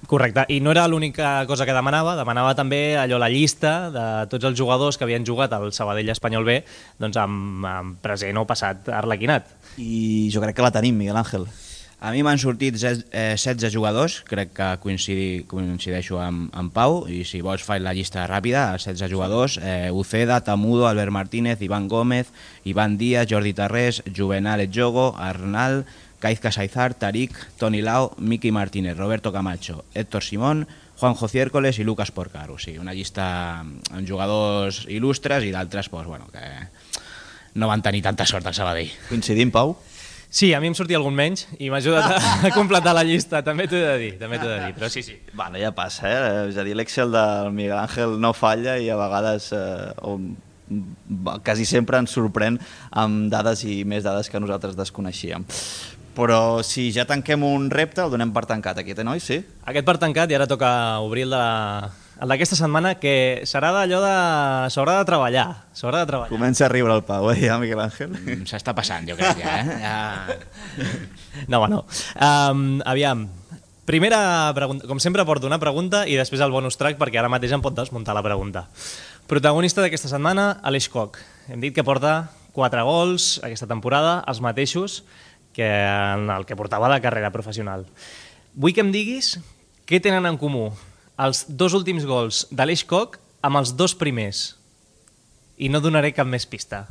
Correcte, i no era l'única cosa que demanava, demanava també allò la llista de tots els jugadors que havien jugat al Sabadell Espanyol B, doncs amb, amb present o passat arlequinat. I jo crec que la tenim, Miguel Ángel. A mi m'han sortit setze jugadors, crec que coincidi, coincideixo amb, amb Pau, i si vols faig la llista ràpida, setze jugadors, eh, Uceda, Tamudo, Albert Martínez, Iván Gómez, Iván Díaz, Jordi Tarrés, Juvenal Etjogo, Arnal, Caiz Casaizar, Tarik, Toni Lau, Miki Martínez, Roberto Camacho, Héctor Simón, Juanjo Ciércoles i Lucas Porcar. O sigui, una llista amb jugadors il·lustres i d'altres pues, bueno, que no van tenir tanta sort al Sabadell. Coincidim, Pau? Sí, a mi em sortia algun menys i m'ha ajudat a completar la llista, també t'ho he de dir, també t'ho he de dir, però sí, sí. Bueno, ja passa, eh? És a dir, l'Excel del Miguel Ángel no falla i a vegades, eh, o quasi sempre ens sorprèn amb dades i més dades que nosaltres desconeixíem. Però si ja tanquem un repte, el donem per tancat, aquest, eh, noi? Sí? Aquest per tancat, i ara toca obrir el de la... el d'aquesta setmana, que serà d'allò de... s'haurà de treballar, s'haurà de treballar. Comença a riure el Pau, eh, ja, Miguel Ángel? Mm, S'està passant, jo crec, ja, eh? Ja... No, home, no. Um, aviam, primera pregunta, com sempre porto una pregunta i després el bonus track, perquè ara mateix em pot desmuntar la pregunta. Protagonista d'aquesta setmana, Aleix Koch. Hem dit que porta quatre gols aquesta temporada, els mateixos que en el que portava de carrera professional. Vull que em diguis què tenen en comú els dos últims gols d'Aleix Koch amb els dos primers. I no donaré cap més pista.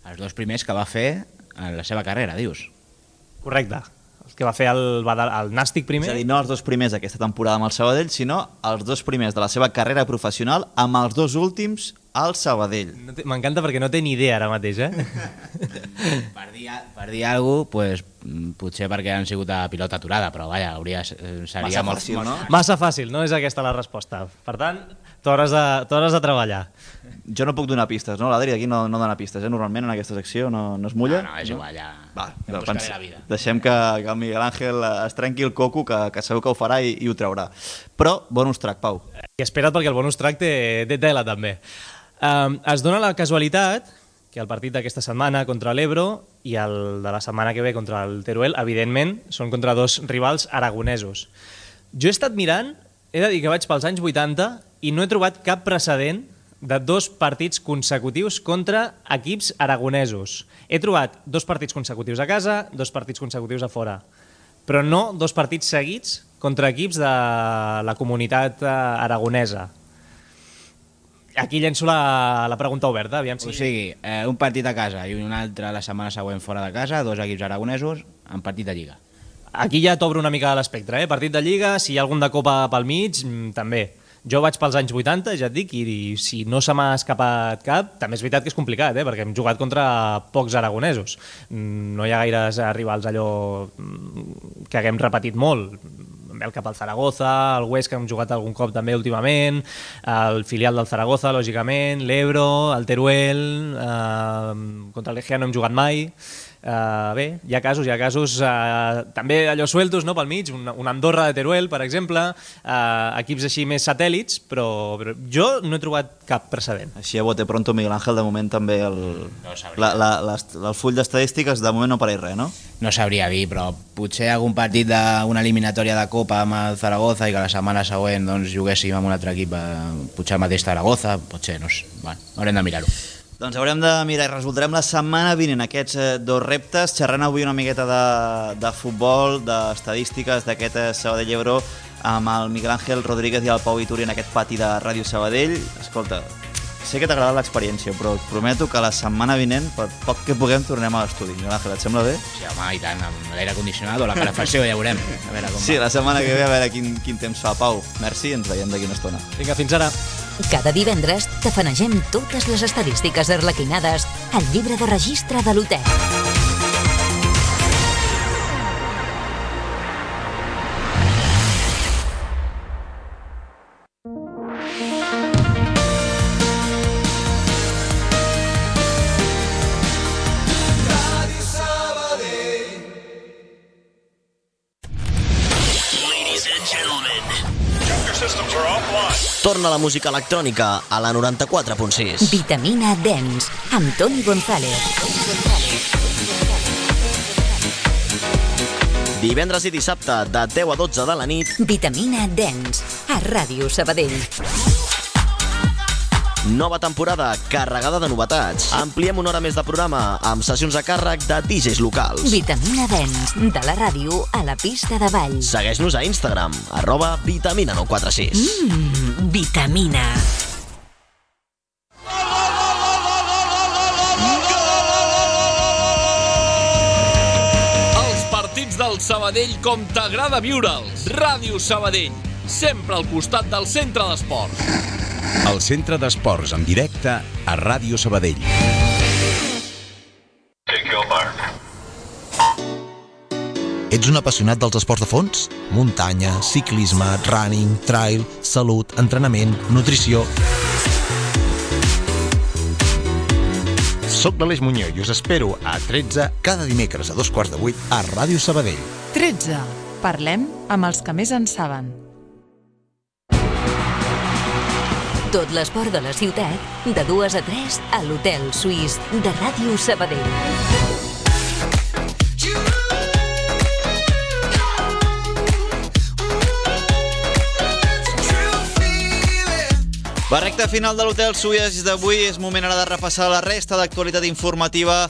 Els dos primers que va fer en la seva carrera, dius? Correcte. El que va fer el, el Nàstic primer. És a dir, no els dos primers d'aquesta temporada amb el Sabadell, sinó els dos primers de la seva carrera professional amb els dos últims al Sabadell. No M'encanta perquè no té ni idea ara mateix, eh? Per dir, per dir alguna cosa, pues, potser perquè han sigut a pilota aturada, però vaja, hauria, seria Massa molt fàcil, no? Massa fàcil, no és aquesta la resposta. Per tant, t'hauràs de, t'hauràs de treballar. Jo no puc donar pistes, no? L'Adri aquí no, no dona pistes, eh? Normalment en aquesta secció no, no es mulla. No, no, és igual, ja... Va, em no, buscaré pens... la vida. Deixem que, que el Miguel Ángel es trenqui el coco, que, que segur que ho farà i, i ho traurà. Però, bonus track, Pau. I espera't perquè el bonus track té, té tela, també. Um, es dona la casualitat que el partit d'aquesta setmana contra l'Ebro i el de la setmana que ve contra el Teruel, evidentment, són contra dos rivals aragonesos. Jo he estat mirant, he de dir que vaig pels anys vuitanta i no he trobat cap precedent de dos partits consecutius contra equips aragonesos. He trobat dos partits consecutius a casa, dos partits consecutius a fora, però no dos partits seguits contra equips de la comunitat aragonesa. Aquí llenço la, la pregunta oberta, aviam si... O sigui, eh, un partit a casa i un altre la setmana següent fora de casa, dos equips aragonesos en partit de Lliga. Aquí ja t'obro una mica l'espectre, eh? Partit de Lliga, si hi ha algun de Copa pel mig, també. Jo vaig pels anys vuitanta, ja et dic, i, i si no se m'ha escapat cap, també és veritat que és complicat, eh? Perquè hem jugat contra pocs aragonesos. No hi ha gaires rivals allò que haguem repetit molt. El cap al Zaragoza, el Huesca hem jugat algun cop també últimament, el filial del Zaragoza, lògicament, l'Ebro, el Teruel, eh, contra el Legia no hem jugat mai. Uh, bé, hi ha casos, hi ha casos uh, també allò sueltos, no?, pel mig, una, una Andorra de Teruel, per exemple, uh, equips així més satèl·lits, però, però jo no he trobat cap precedent. Així a bote pronto, Miguel Ángel, de moment també el, no la, la, la, el full d'estadístiques de moment no pareix res, no? No sabria dir, però potser algun partit d'una eliminatòria de Copa amb el Zaragoza i que la setmana següent doncs, juguéssim amb un altre equip, eh, potser el mateix Zaragoza, potser, no sé, bueno, haurem de mirar-ho. Doncs haurem de mirar i resoldrem la setmana vinent aquests eh, dos reptes, xerrant avui una miqueta de, de futbol, d'estadístiques d'aquest eh, Sabadell-Ebro amb el Miguel Ángel Rodríguez i el Pau Ituri en aquest pati de Ràdio Sabadell. Escolta, sé que t'ha agradat l'experiència, però et prometo que la setmana vinent, per poc que puguem, tornem a l'estudi. Miguel Ángel, et sembla bé? Sí, home, i tant, amb l'aire condicionat o la calefacció, ja veurem. A veure com sí, va. La setmana que ve, a veure quin, quin temps fa. Pau, merci, ens veiem d'aquí una estona. Vinga, fins ara. Cada divendres tafanegem totes les estadístiques arlequinades al llibre de registre de l'Hotel. Torna la música electrònica a la noranta-quatre punt sis. Vitamina Dance, amb Toni González. Divendres i dissabte, de deu a dotze de la nit. Vitamina Dance, a Ràdio Sabadell. Nova temporada carregada de novetats. Ampliem una hora més de programa amb sessions a càrrec de D Js locals. Vitamina Dance, de la ràdio a la pista de ball. Segueix-nos a Instagram, arroba vitamina nou quatre sis. Mmm, vitamina. Els partits del Sabadell com t'agrada viure'ls. Ràdio Sabadell, sempre al costat del centre d'esports. El centre d'esports en directe a Ràdio Sabadell. Ets un apassionat dels esports de fons? Muntanya, ciclisme, running, trail, salut, entrenament, nutrició... Soc l'Aleix Muñoz i us espero a tretze cada dimecres a dos quarts de vuit a Ràdio Sabadell. tretze. Parlem amb els que més en saben. Tot l'esport de la ciutat, de dues a tres, a l'Hotel Suís de Ràdio Sabadell. La recta final de l'Hotel Suís d'avui és moment ara de repassar la resta d'actualitat informativa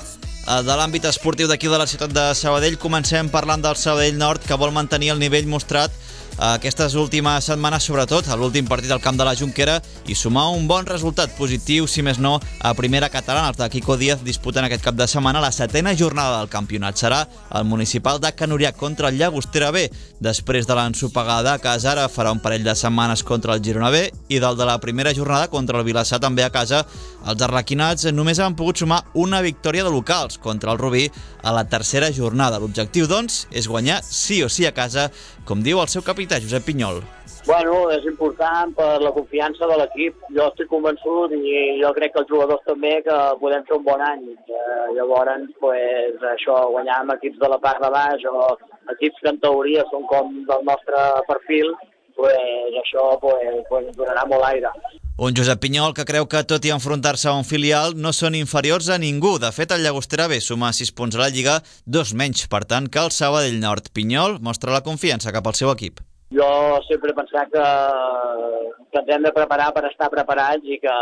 de l'àmbit esportiu d'aquí de la ciutat de Sabadell. Comencem parlant del Sabadell Nord, que vol mantenir el nivell mostrat aquestes últimes setmanes, sobretot a l'últim partit al camp de la Jonquera, i sumar un bon resultat positiu, si més no, a primera catalana. Els de Quico Díaz disputen aquest cap de setmana la setena jornada del campionat. Serà el municipal de Can Uriac contra el Llagostera B. Després de l'ensopegada a casa, ara farà un parell de setmanes contra el Girona B, i del de la primera jornada contra el Vilassar també a casa. Els arlequinats només han pogut sumar una victòria de locals contra el Rubí a la tercera jornada. L'objectiu, doncs, és guanyar sí o sí a casa, com diu el seu capità, Josep Pinyol. Bueno, és important per la confiança de l'equip. Jo estic convençut i jo crec que els jugadors també que podem fer un bon any. Eh, llavors, pues, això, guanyar amb equips de la part de baix o equips que en teoria són com del nostre perfil, pues, això pues, pues, donarà molt aire. Un Josep Pinyol que creu que, tot i enfrontar-se a un filial, no són inferiors a ningú. De fet, el Llagostera B suma sis punts a la Lliga, dos menys, per tant, que el Sabadell Nord. Pinyol mostra la confiança cap al seu equip. Jo sempre he pensat que, que ens hem de preparar per estar preparats i que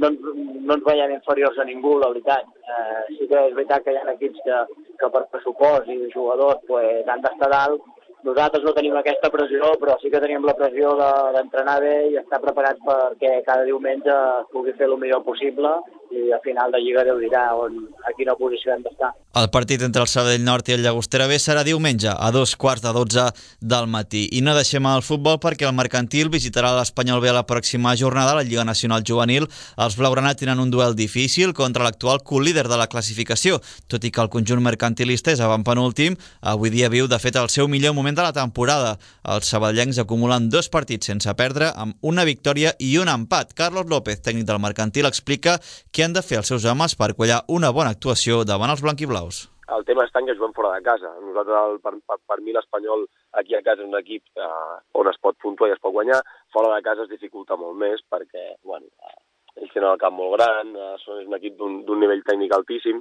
no, no ens veiem inferiors a ningú, la veritat. Eh, sí que és veritat que hi ha equips que, que per pressupost i jugadors pues, han d'estar dalt. Nosaltres no tenim aquesta pressió, però sí que tenim la pressió d'entrenar bé i estar preparats perquè cada diumenge pugui fer el millor possible i a final de Lliga Déu dirà on, a quina posició hem d'estar. El partit entre el Sabadell Nord i el Llagostera B serà diumenge a dos quarts de dotze del matí. I no deixem el futbol perquè el Mercantil visitarà l'Espanyol B a la pròxima jornada a la Lliga Nacional Juvenil. Els blaugrana tenen un duel difícil contra l'actual colíder de la classificació. Tot i que el conjunt mercantilista és avantpenúltim, avui dia viu de fet el seu millor moment de la temporada. Els sabadellencs acumulen dos partits sense perdre, amb una victòria i un empat. Carlos López, tècnic del Mercantil, explica què han de fer els seus homes per quallar una bona actuació davant els blanquiblaus. El tema està que juguem fora de casa. Nosaltres, el, per, per, per mi, l'Espanyol aquí a casa és un equip eh, on es pot puntuar i es pot guanyar. Fora de casa es dificulta molt més perquè, bueno, eh, ells tenen el camp molt gran, eh, és un equip d'un nivell tècnic altíssim,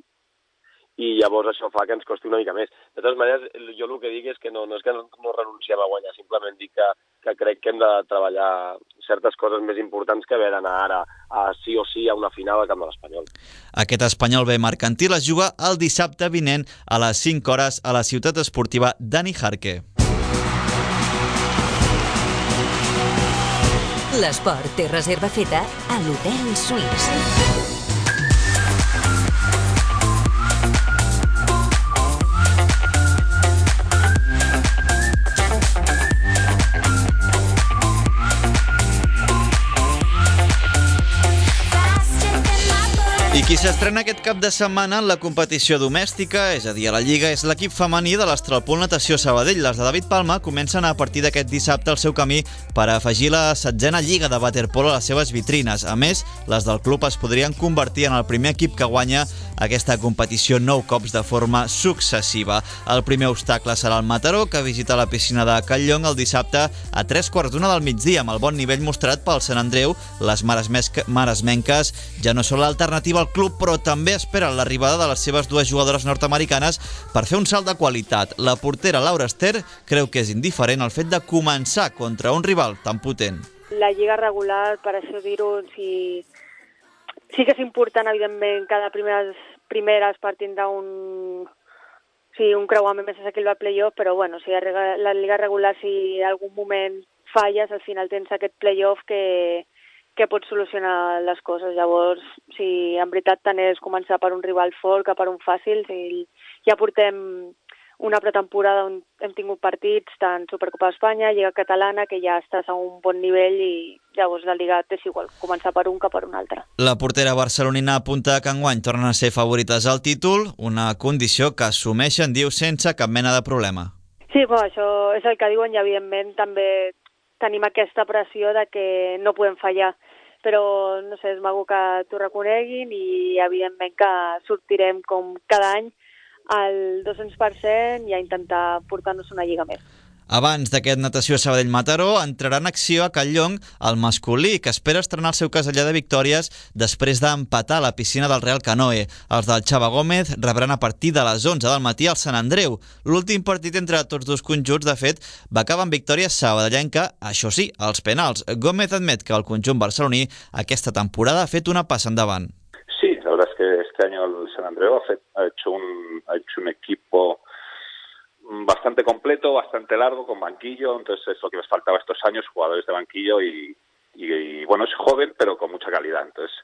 i llavors això fa que ens costi una mica més. De totes maneres, jo el que dic és que no, no és que no, no renunciem a guanyar, simplement dic que, que crec que hem de treballar certes coses més importants que haver d'anar ara a sí o sí a una final al camp de l'Espanyol. Aquest Espanyol B Mercantil es juga el dissabte vinent a les cinc hores a la ciutat esportiva Dani Jarque. L'esport té reserva feta a l'Hotel Suís. I qui s'estrena aquest cap de setmana en la competició domèstica, és a dir, a la Lliga, és l'equip femení de l'Astralpool Natació Sabadell. Les de David Palma comencen a partir d'aquest dissabte el seu camí per afegir la setzena Lliga de waterpolo a les seves vitrines. A més, les del club es podrien convertir en el primer equip que guanya aquesta competició nou cops de forma successiva. El primer obstacle serà el Mataró, que visita la piscina de Catlllong el dissabte a tres quarts d'una del migdia. Amb el bon nivell mostrat pel Sant Andreu, les maresmenques ja no són l'alternativa al club, però també esperen l'arribada de les seves dues jugadores nord-americanes per fer un salt de qualitat. La portera Laura Ester creu que és indiferent el fet de començar contra un rival tan potent. La lliga regular, per això dir-ho, sí, sí que és important, evidentment, cada primeres, primeres partint d'un sí, un creuament més assequible al playoff, però bueno, si la lliga regular, si en algun moment falles, al final tens aquest playoff que que pot solucionar les coses. Llavors, si en veritat tant és començar per un rival fort que per un fàcil, si ja portem una pretemporada on hem tingut partits tant Supercopa d'Espanya, Lliga Catalana, que ja estàs a un bon nivell i llavors la Lliga és igual, començar per un que per un altre. La portera barcelonina apunta que enguany tornen a ser favorites al títol, una condició que assumeixen, diu, sense cap mena de problema. Sí, bueno, això és el que diuen i evidentment també tenim aquesta pressió de que no podem fallar, però no sé, és maco que t'ho reconeguin i evidentment que sortirem com cada any al dos-cents per cent i a intentar portar-nos una lliga més. Abans d'aquest Natació Sabadell-Mataró, entrarà en acció a Catlllong el masculí, que espera estrenar el seu casellar de victòries després d'empatar a la piscina del Real Canoe. Els del Xava Gómez rebran a partir de les onze del matí al Sant Andreu. L'últim partit entre tots dos conjunts, de fet, va acabar amb victòria sabadellenca, això sí, als penals. Gómez admet que el conjunt barceloní aquesta temporada ha fet una passa endavant. Sí, la verdad es que este año el San Andreu ha, fet, ha, hecho, un, ha hecho un equipo bastante completo, bastante largo, con banquillo, entonces es lo que les faltaba estos años, jugadores de banquillo y, y, y bueno, es joven pero con mucha calidad, entonces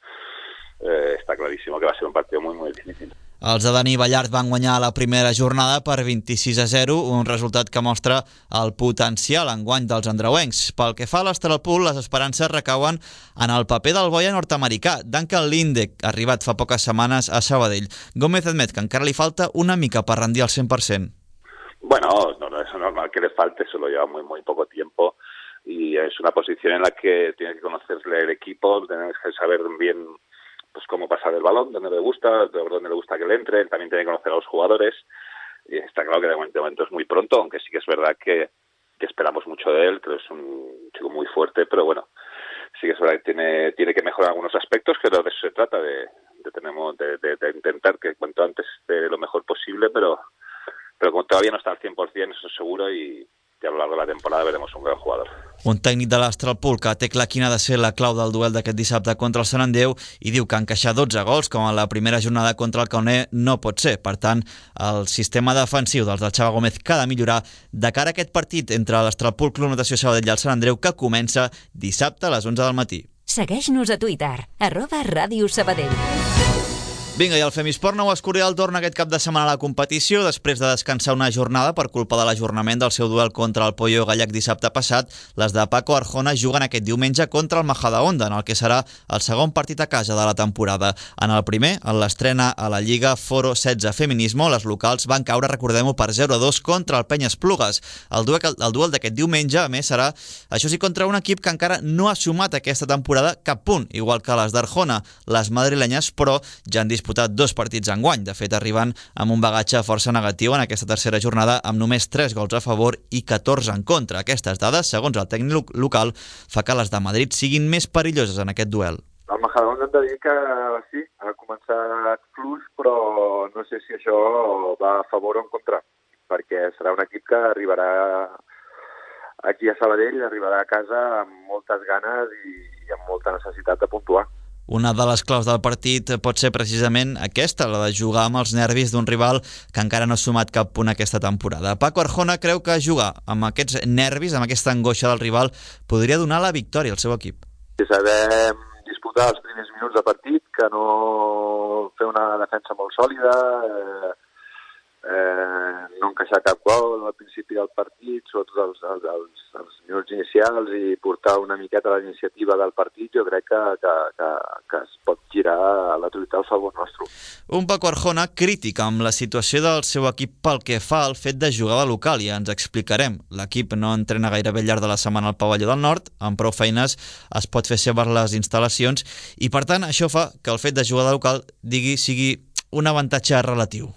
eh, está clarísimo que va a ser un partido muy muy difícil. Els de Dani Ballart van guanyar la primera jornada per vint-i-sis a zero, un resultat que mostra el potencial enguany dels andreuencs. Pel que fa a l'Astralpool, les esperances recauen en el paper del boia nord-americà, Duncan Lindek, arribat fa poques setmanes a Sabadell. Gómez admet que encara li falta una mica per rendir al cent per cent. Bueno, no, no es normal que le falte, solo lleva muy muy poco tiempo y es una posición en la que tiene que conocerle el equipo, tiene que saber bien pues cómo pasar el balón, dónde le gusta, dónde le gusta que le entre, él también tiene que conocer a los jugadores y está claro que de momento, de momento es muy pronto, aunque sí que es verdad que, que esperamos mucho de él, creo que es un chico muy fuerte, pero bueno, sí que es verdad que tiene, tiene que mejorar algunos aspectos, pero de eso se trata, de, de, tenemos, de, de, de intentar que cuanto antes esté lo mejor posible, pero, pero como todavía no está al cien por cien, eso es seguro, y i a lo largo de la temporada veremos un gran jugador. Un tècnic de l'Astralpool que té clar quina ha de ser la clau del duel d'aquest dissabte contra el Sant Andreu i diu que encaixar dotze gols com a la primera jornada contra el Cauner no pot ser. Per tant, el sistema defensiu dels del Xavi Gómez que ha de millorar de cara a aquest partit entre l'Astralpool Club Natació Sabadell i el Sant Andreu que comença dissabte a les onze del matí. Segueix-nos a Twitter, arroba Ràdio Sabadell. Vinga, i el Femisport Nou Escorial torna aquest cap de setmana a la competició després de descansar una jornada per culpa de l'ajornament del seu duel contra el Pollo Gallec dissabte passat. Les de Paco Arjona juguen aquest diumenge contra el Majadahonda, en el que serà el segon partit a casa de la temporada. En el primer, en l'estrena a la Lliga Foro setze Feminismo, les locals van caure, recordem-ho, per zero a dos contra el Penya Esplugues. El duel, el duel d'aquest diumenge, a més, serà, això sí, contra un equip que encara no ha sumat aquesta temporada cap punt, igual que les d'Arjona. Les madrilenyes, però, ja han disputat dos partits enguany. De fet, arriben amb un bagatge força negatiu en aquesta tercera jornada amb només tres gols a favor i catorze en contra. Aquestes dades, segons el tècnic local, fa que les de Madrid siguin més perilloses en aquest duel. El Majadahonda hem de dir que sí, ha començat fluix, però no sé si això va a favor o en contra, perquè serà un equip que arribarà aquí a Sabadell, arribarà a casa amb moltes ganes i amb molta necessitat de puntuar. Una de les claus del partit pot ser precisament aquesta, la de jugar amb els nervis d'un rival que encara no ha sumat cap punt aquesta temporada. Paco Arjona creu que jugar amb aquests nervis, amb aquesta angoixa del rival, podria donar la victòria al seu equip. Si sabem disputar els primers minuts de partit, que no fer una defensa molt sòlida, eh, eh, no encaixar cap gol al principi del partit, sobretot els, els, els, els minuts inicials, i portar una miqueta la iniciativa del partit, jo crec que, que, que, que es pot girar a la totalitat al favor nostre. Un Paco Arjona crític amb la situació del seu equip pel que fa al fet de jugar de local, i ens explicarem. L'equip no entrena gairebé al llarg de la setmana al Pavelló del Nord, amb prou feines es pot fer seves les instal·lacions, i per tant això fa que el fet de jugar de local digui, sigui un avantatge relatiu.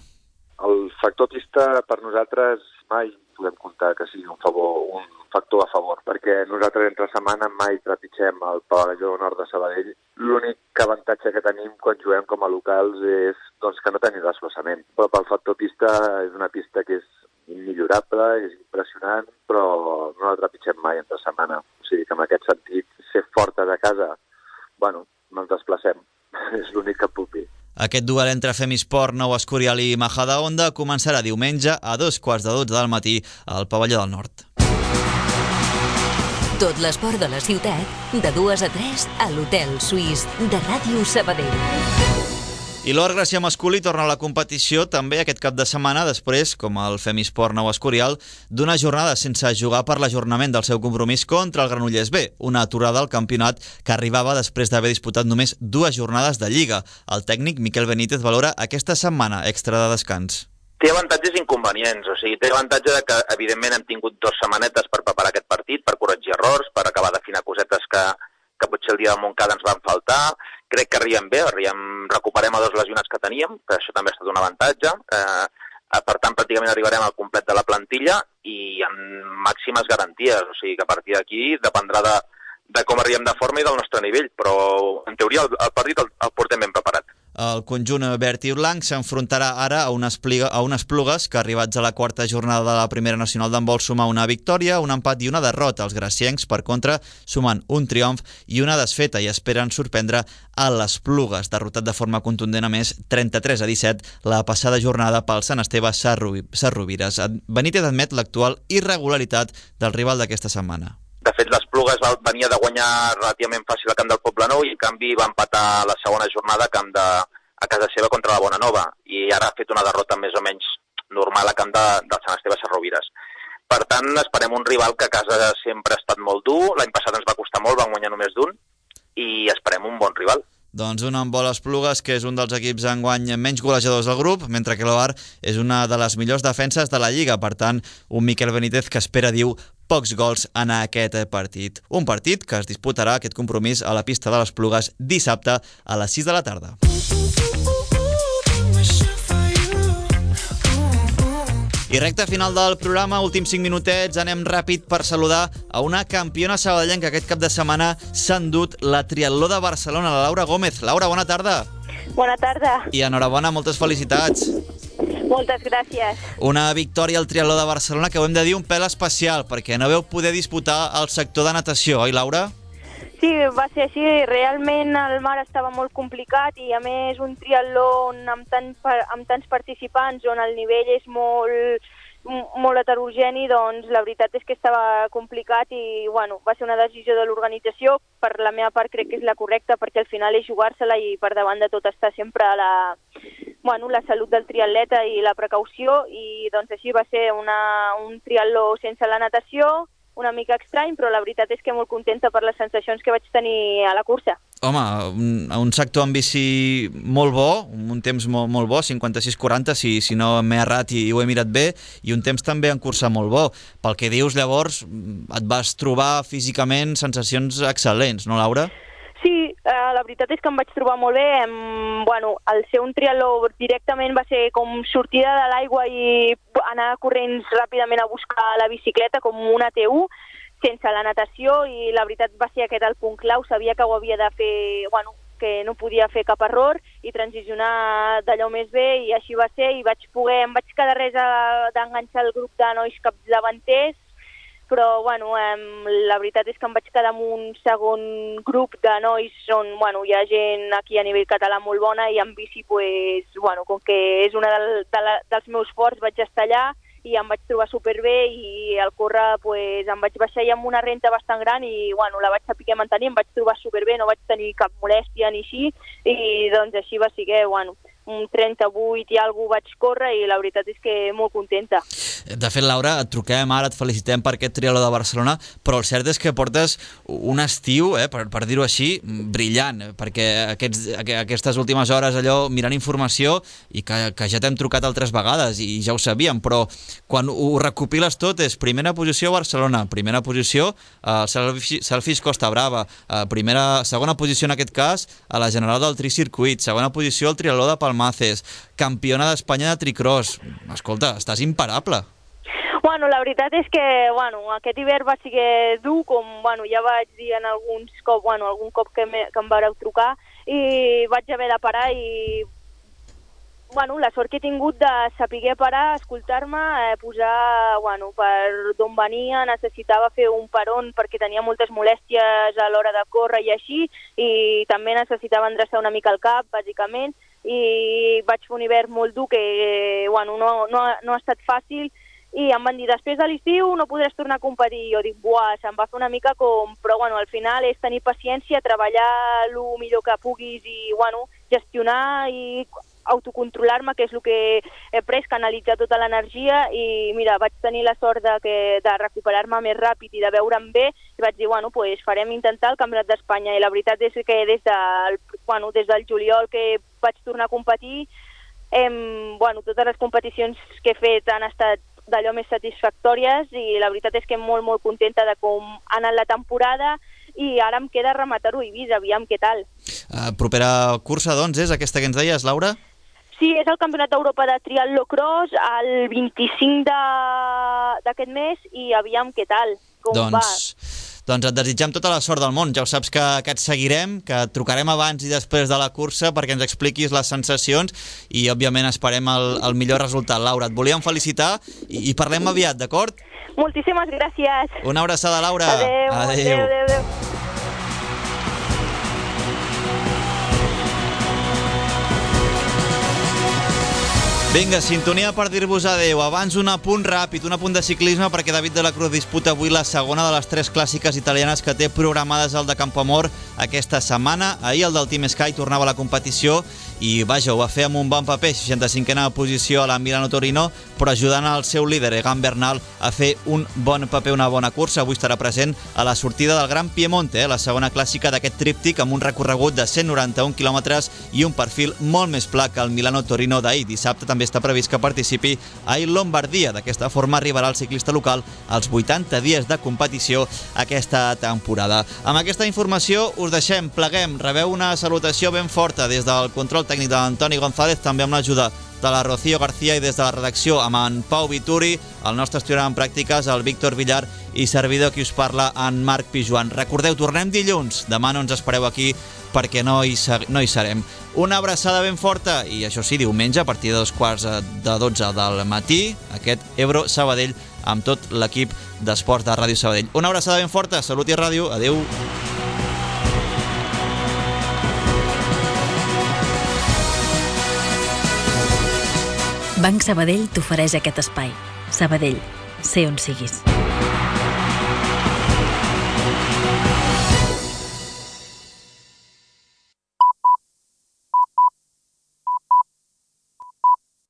El factor pista per nosaltres mai podem comptar que sigui un, favor, un factor a favor, perquè nosaltres entre setmana mai trepitgem el Pavelló Nord de Sabadell. L'únic avantatge que tenim quan juguem com a locals és doncs, que no tenim desplaçament. Però pel factor pista és una pista que és immillorable, és impressionant, però no la trepitgem mai entre setmana. O sigui que en aquest sentit, ser fortes a casa, bueno, no ens desplacem. És l'únic que puc dir. Aquest duel entre Femisport Nou Escorial i Majadahonda començarà diumenge a dos quarts de dotze del matí al Pavelló del Nord. Tot l'esport de la ciutat, de dues a tres a l'Hotel Suís de Ràdio Sabadell. I l'Or Gracià masculí torna a la competició també aquest cap de setmana, després, com el Femisport Nou Escorial, d'una jornada sense jugar per l'ajornament del seu compromís contra el Granollers B, una aturada al campionat que arribava després d'haver disputat només dues jornades de Lliga. El tècnic Miquel Benítez valora aquesta setmana extra de descans. Té avantatges i inconvenients, o sigui, té l'avantatge de que, evidentment, hem tingut dues setmanetes per preparar aquest partit, per corregir errors, per acabar d'afinar cosetes que, que potser el dia del Montcada ens van faltar. Crec que arribem bé, arribem, recuperem a dos lesionats que teníem, que això també ha estat un avantatge. Eh, per tant, pràcticament arribarem al complet de la plantilla i amb màximes garanties. O sigui que a partir d'aquí dependrà de, de com arribem de forma i del nostre nivell, però en teoria el, el partit el, el portem ben preparat. El conjunt verd i blanc s'enfrontarà ara a unes, pliga, a unes Plugues que, arribats a la quarta jornada de la primera nacional d'handbol, suma una victòria, un empat i una derrota. Els graciencs, per contra, sumen un triomf i una desfeta i esperen sorprendre a les Plugues, derrotat de forma contundent a més trenta-tres a disset la passada jornada pel Sant Esteve Sarrovires. Benítez admet l'actual irregularitat del rival d'aquesta setmana. De fet, les Plugues venia de guanyar relativament fàcil al camp del Poblenou i, en canvi, va empatar la segona jornada a, camp de, a casa seva contra la Bonanova. I ara ha fet una derrota més o menys normal a camp de, del Sant Esteve Sarrovires. Per tant, esperem un rival que a casa sempre ha estat molt dur. L'any passat ens va costar molt, van guanyar només d'un. I esperem un bon rival. Doncs un amb les Plugues, que és un dels equips enguany menys golejadors del grup, mentre que l'Ovar és una de les millors defenses de la Lliga. Per tant, un Miquel Benítez que espera, diu, pocs gols en aquest partit. Un partit que es disputarà, aquest compromís, a la pista de les Plugues dissabte a les sis de la tarda. I recta final del programa, últims cinc minutets, anem ràpid per saludar a una campiona sabadellenca que aquest cap de setmana s'ha endut la triatló de Barcelona, la Laura Gómez. Laura, bona tarda. Bona tarda. I enhorabona, moltes felicitats. Moltes gràcies. Una victòria al triatló de Barcelona que ho hem de dir un pèl especial, perquè no veu poder disputar el sector de natació, oi, Laura? Sí, va ser així. Realment el mar estava molt complicat i, a més, un triatló amb, tant, amb tants participants on el nivell és molt, molt heterogeni, doncs la veritat és que estava complicat i, bueno, va ser una decisió de l'organització. Per la meva part crec que és la correcta, perquè al final és jugar-se-la i per davant de tot està sempre la, bueno, la salut del triatleta i la precaució, i doncs així va ser una, un triatló sense la natació, una mica estrany, però la veritat és que molt contenta per les sensacions que vaig tenir a la cursa. Home, un, un sector amb bici molt bo, un temps molt, molt bo, cinquanta-sis quaranta, si, si no m'he errat i, i ho he mirat bé, i un temps també en cursa molt bo. Pel que dius, llavors, et vas trobar físicament sensacions excel·lents, no, Laura? Sí, eh, la veritat és que em vaig trobar molt bé. Em, bueno, el ser un triatló directament va ser com sortida de l'aigua i anar corrents ràpidament a buscar la bicicleta, com una T U, sense la natació, i la veritat va ser aquest el punt clau. Sabia que ho havia de fer, bueno, que no podia fer cap error i transicionar d'allò més bé, i així va ser, i vaig poder, em vaig quedar res d'enganxar el grup de nois capdavanters, però bueno, eh, la veritat és que em vaig quedar amb un segon grup de nois on, bueno, hi ha gent aquí a nivell català molt bona, i en bici, pues, bueno, com que és una del, de la, dels meus forts, vaig estar allà i em vaig trobar superbé, i al córrer pues, em vaig baixar ja amb una renta bastant gran i, bueno, la vaig saber mantenir, em vaig trobar superbé, no vaig tenir cap molèstia ni així, i doncs així va ser que, bueno, un trenta-vuit i alguna cosa vaig córrer, i la veritat és que molt contenta. De fet, Laura, et truquem ara, et felicitem per aquest triatló de Barcelona, però el cert és que portes un estiu, eh, per, per dir-ho així, brillant, perquè aquests, aquestes últimes hores allò mirant informació, i que, que ja t'hem trucat altres vegades i ja ho sabíem, però quan ho recopiles tot és primera posició a Barcelona, primera posició a Selfish Costa Brava, primera, segona posició en aquest cas a la General del Tricircuit, segona posició al triatló de Palmaces, campiona d'Espanya de tricross. Escolta, estàs imparable. Bueno, la veritat és que, bueno, aquest hivern va ser dur, com, bueno, ja vaig dir en alguns cop, bueno, algun cop que, me, que em vareu trucar, i vaig haver de parar, i bueno, la sort que he tingut de saber parar, escoltar-me, eh, posar, bueno, per d'on venia, necessitava fer un peron perquè tenia moltes molèsties a l'hora de córrer i així, i també necessitava endreçar una mica el cap, bàsicament, i vaig fer un hivern molt dur que, bueno, no, no, no ha estat fàcil, i em van dir, després de l'estiu no podràs tornar a competir. Jo dic, buah, se'm va fer una mica com... Però, bueno, al final és tenir paciència, treballar el millor que puguis i, bueno, gestionar i autocontrolar-me, que és el que he pres, canalitzar tota l'energia, i, mira, vaig tenir la sort de, que, de recuperar-me més ràpid i de veure'm bé, i vaig dir, bueno, pues farem intentar el Campionat d'Espanya, i la veritat és que des del, bueno, des del juliol que vaig tornar a competir, hem, bueno, totes les competicions que he fet han estat d'allò més satisfactòries, i la veritat és que molt, molt contenta de com ha anat la temporada, i ara em queda rematar-ho a Eivissa, aviam què tal. Uh, propera cursa, doncs, és aquesta que ens deies, Laura? Sí, és el Campionat d'Europa de Triatló Cross el vint-i-cinc d'aquest mes, i aviam què tal, com doncs, va. Doncs et desitgem tota la sort del món. Ja ho saps que, que et seguirem, que et trucarem abans i després de la cursa perquè ens expliquis les sensacions i, òbviament, esperem el, el millor resultat. Laura, et volíem felicitar i, i parlem aviat, d'acord? Moltíssimes gràcies. Una abraçada, Laura. Adéu, adéu, adéu, adéu. Vinga, sintonia per dir-vos adéu. Abans un apunt ràpid, un apunt de ciclisme, perquè David de la Cruz disputa avui la segona de les tres clàssiques italianes que té programades al de Campoamor aquesta setmana. Ahir el del Team Sky tornava a la competició i, vaja, ho va fer amb un bon paper, seixanta-cinquena posició a la Milano-Torino, però ajudant el seu líder, Egan Bernal, a fer un bon paper, una bona cursa. Avui estarà present a la sortida del Gran Piemonte, eh, la segona clàssica d'aquest tríptic, amb un recorregut de cent noranta-un quilòmetres i un perfil molt més pla que el Milano-Torino d'ahir. Dissabte també està previst que participi a Lombardia. D'aquesta forma arribarà el ciclista local als vuitanta dies de competició aquesta temporada. Amb aquesta informació us deixem, pleguem, rebeu una salutació ben forta des del control tècnic de l'Antoni González, també amb l'ajuda de la Rocío García i des de la redacció amb en Pau Vituri, el nostre estudiant en pràctiques, el Víctor Villar i servidor qui us parla, en Marc Pijuan. Recordeu, tornem dilluns, demà no ens espereu aquí perquè no hi, no hi serem. Una abraçada ben forta i, això sí, diumenge a partir de dos quarts de dotze del matí, aquest Ebro Sabadell amb tot l'equip d'esports de Ràdio Sabadell. Una abraçada ben forta, salut i ràdio, adeu. Banc Sabadell t'ofereix aquest espai. Sabadell, sé on siguis.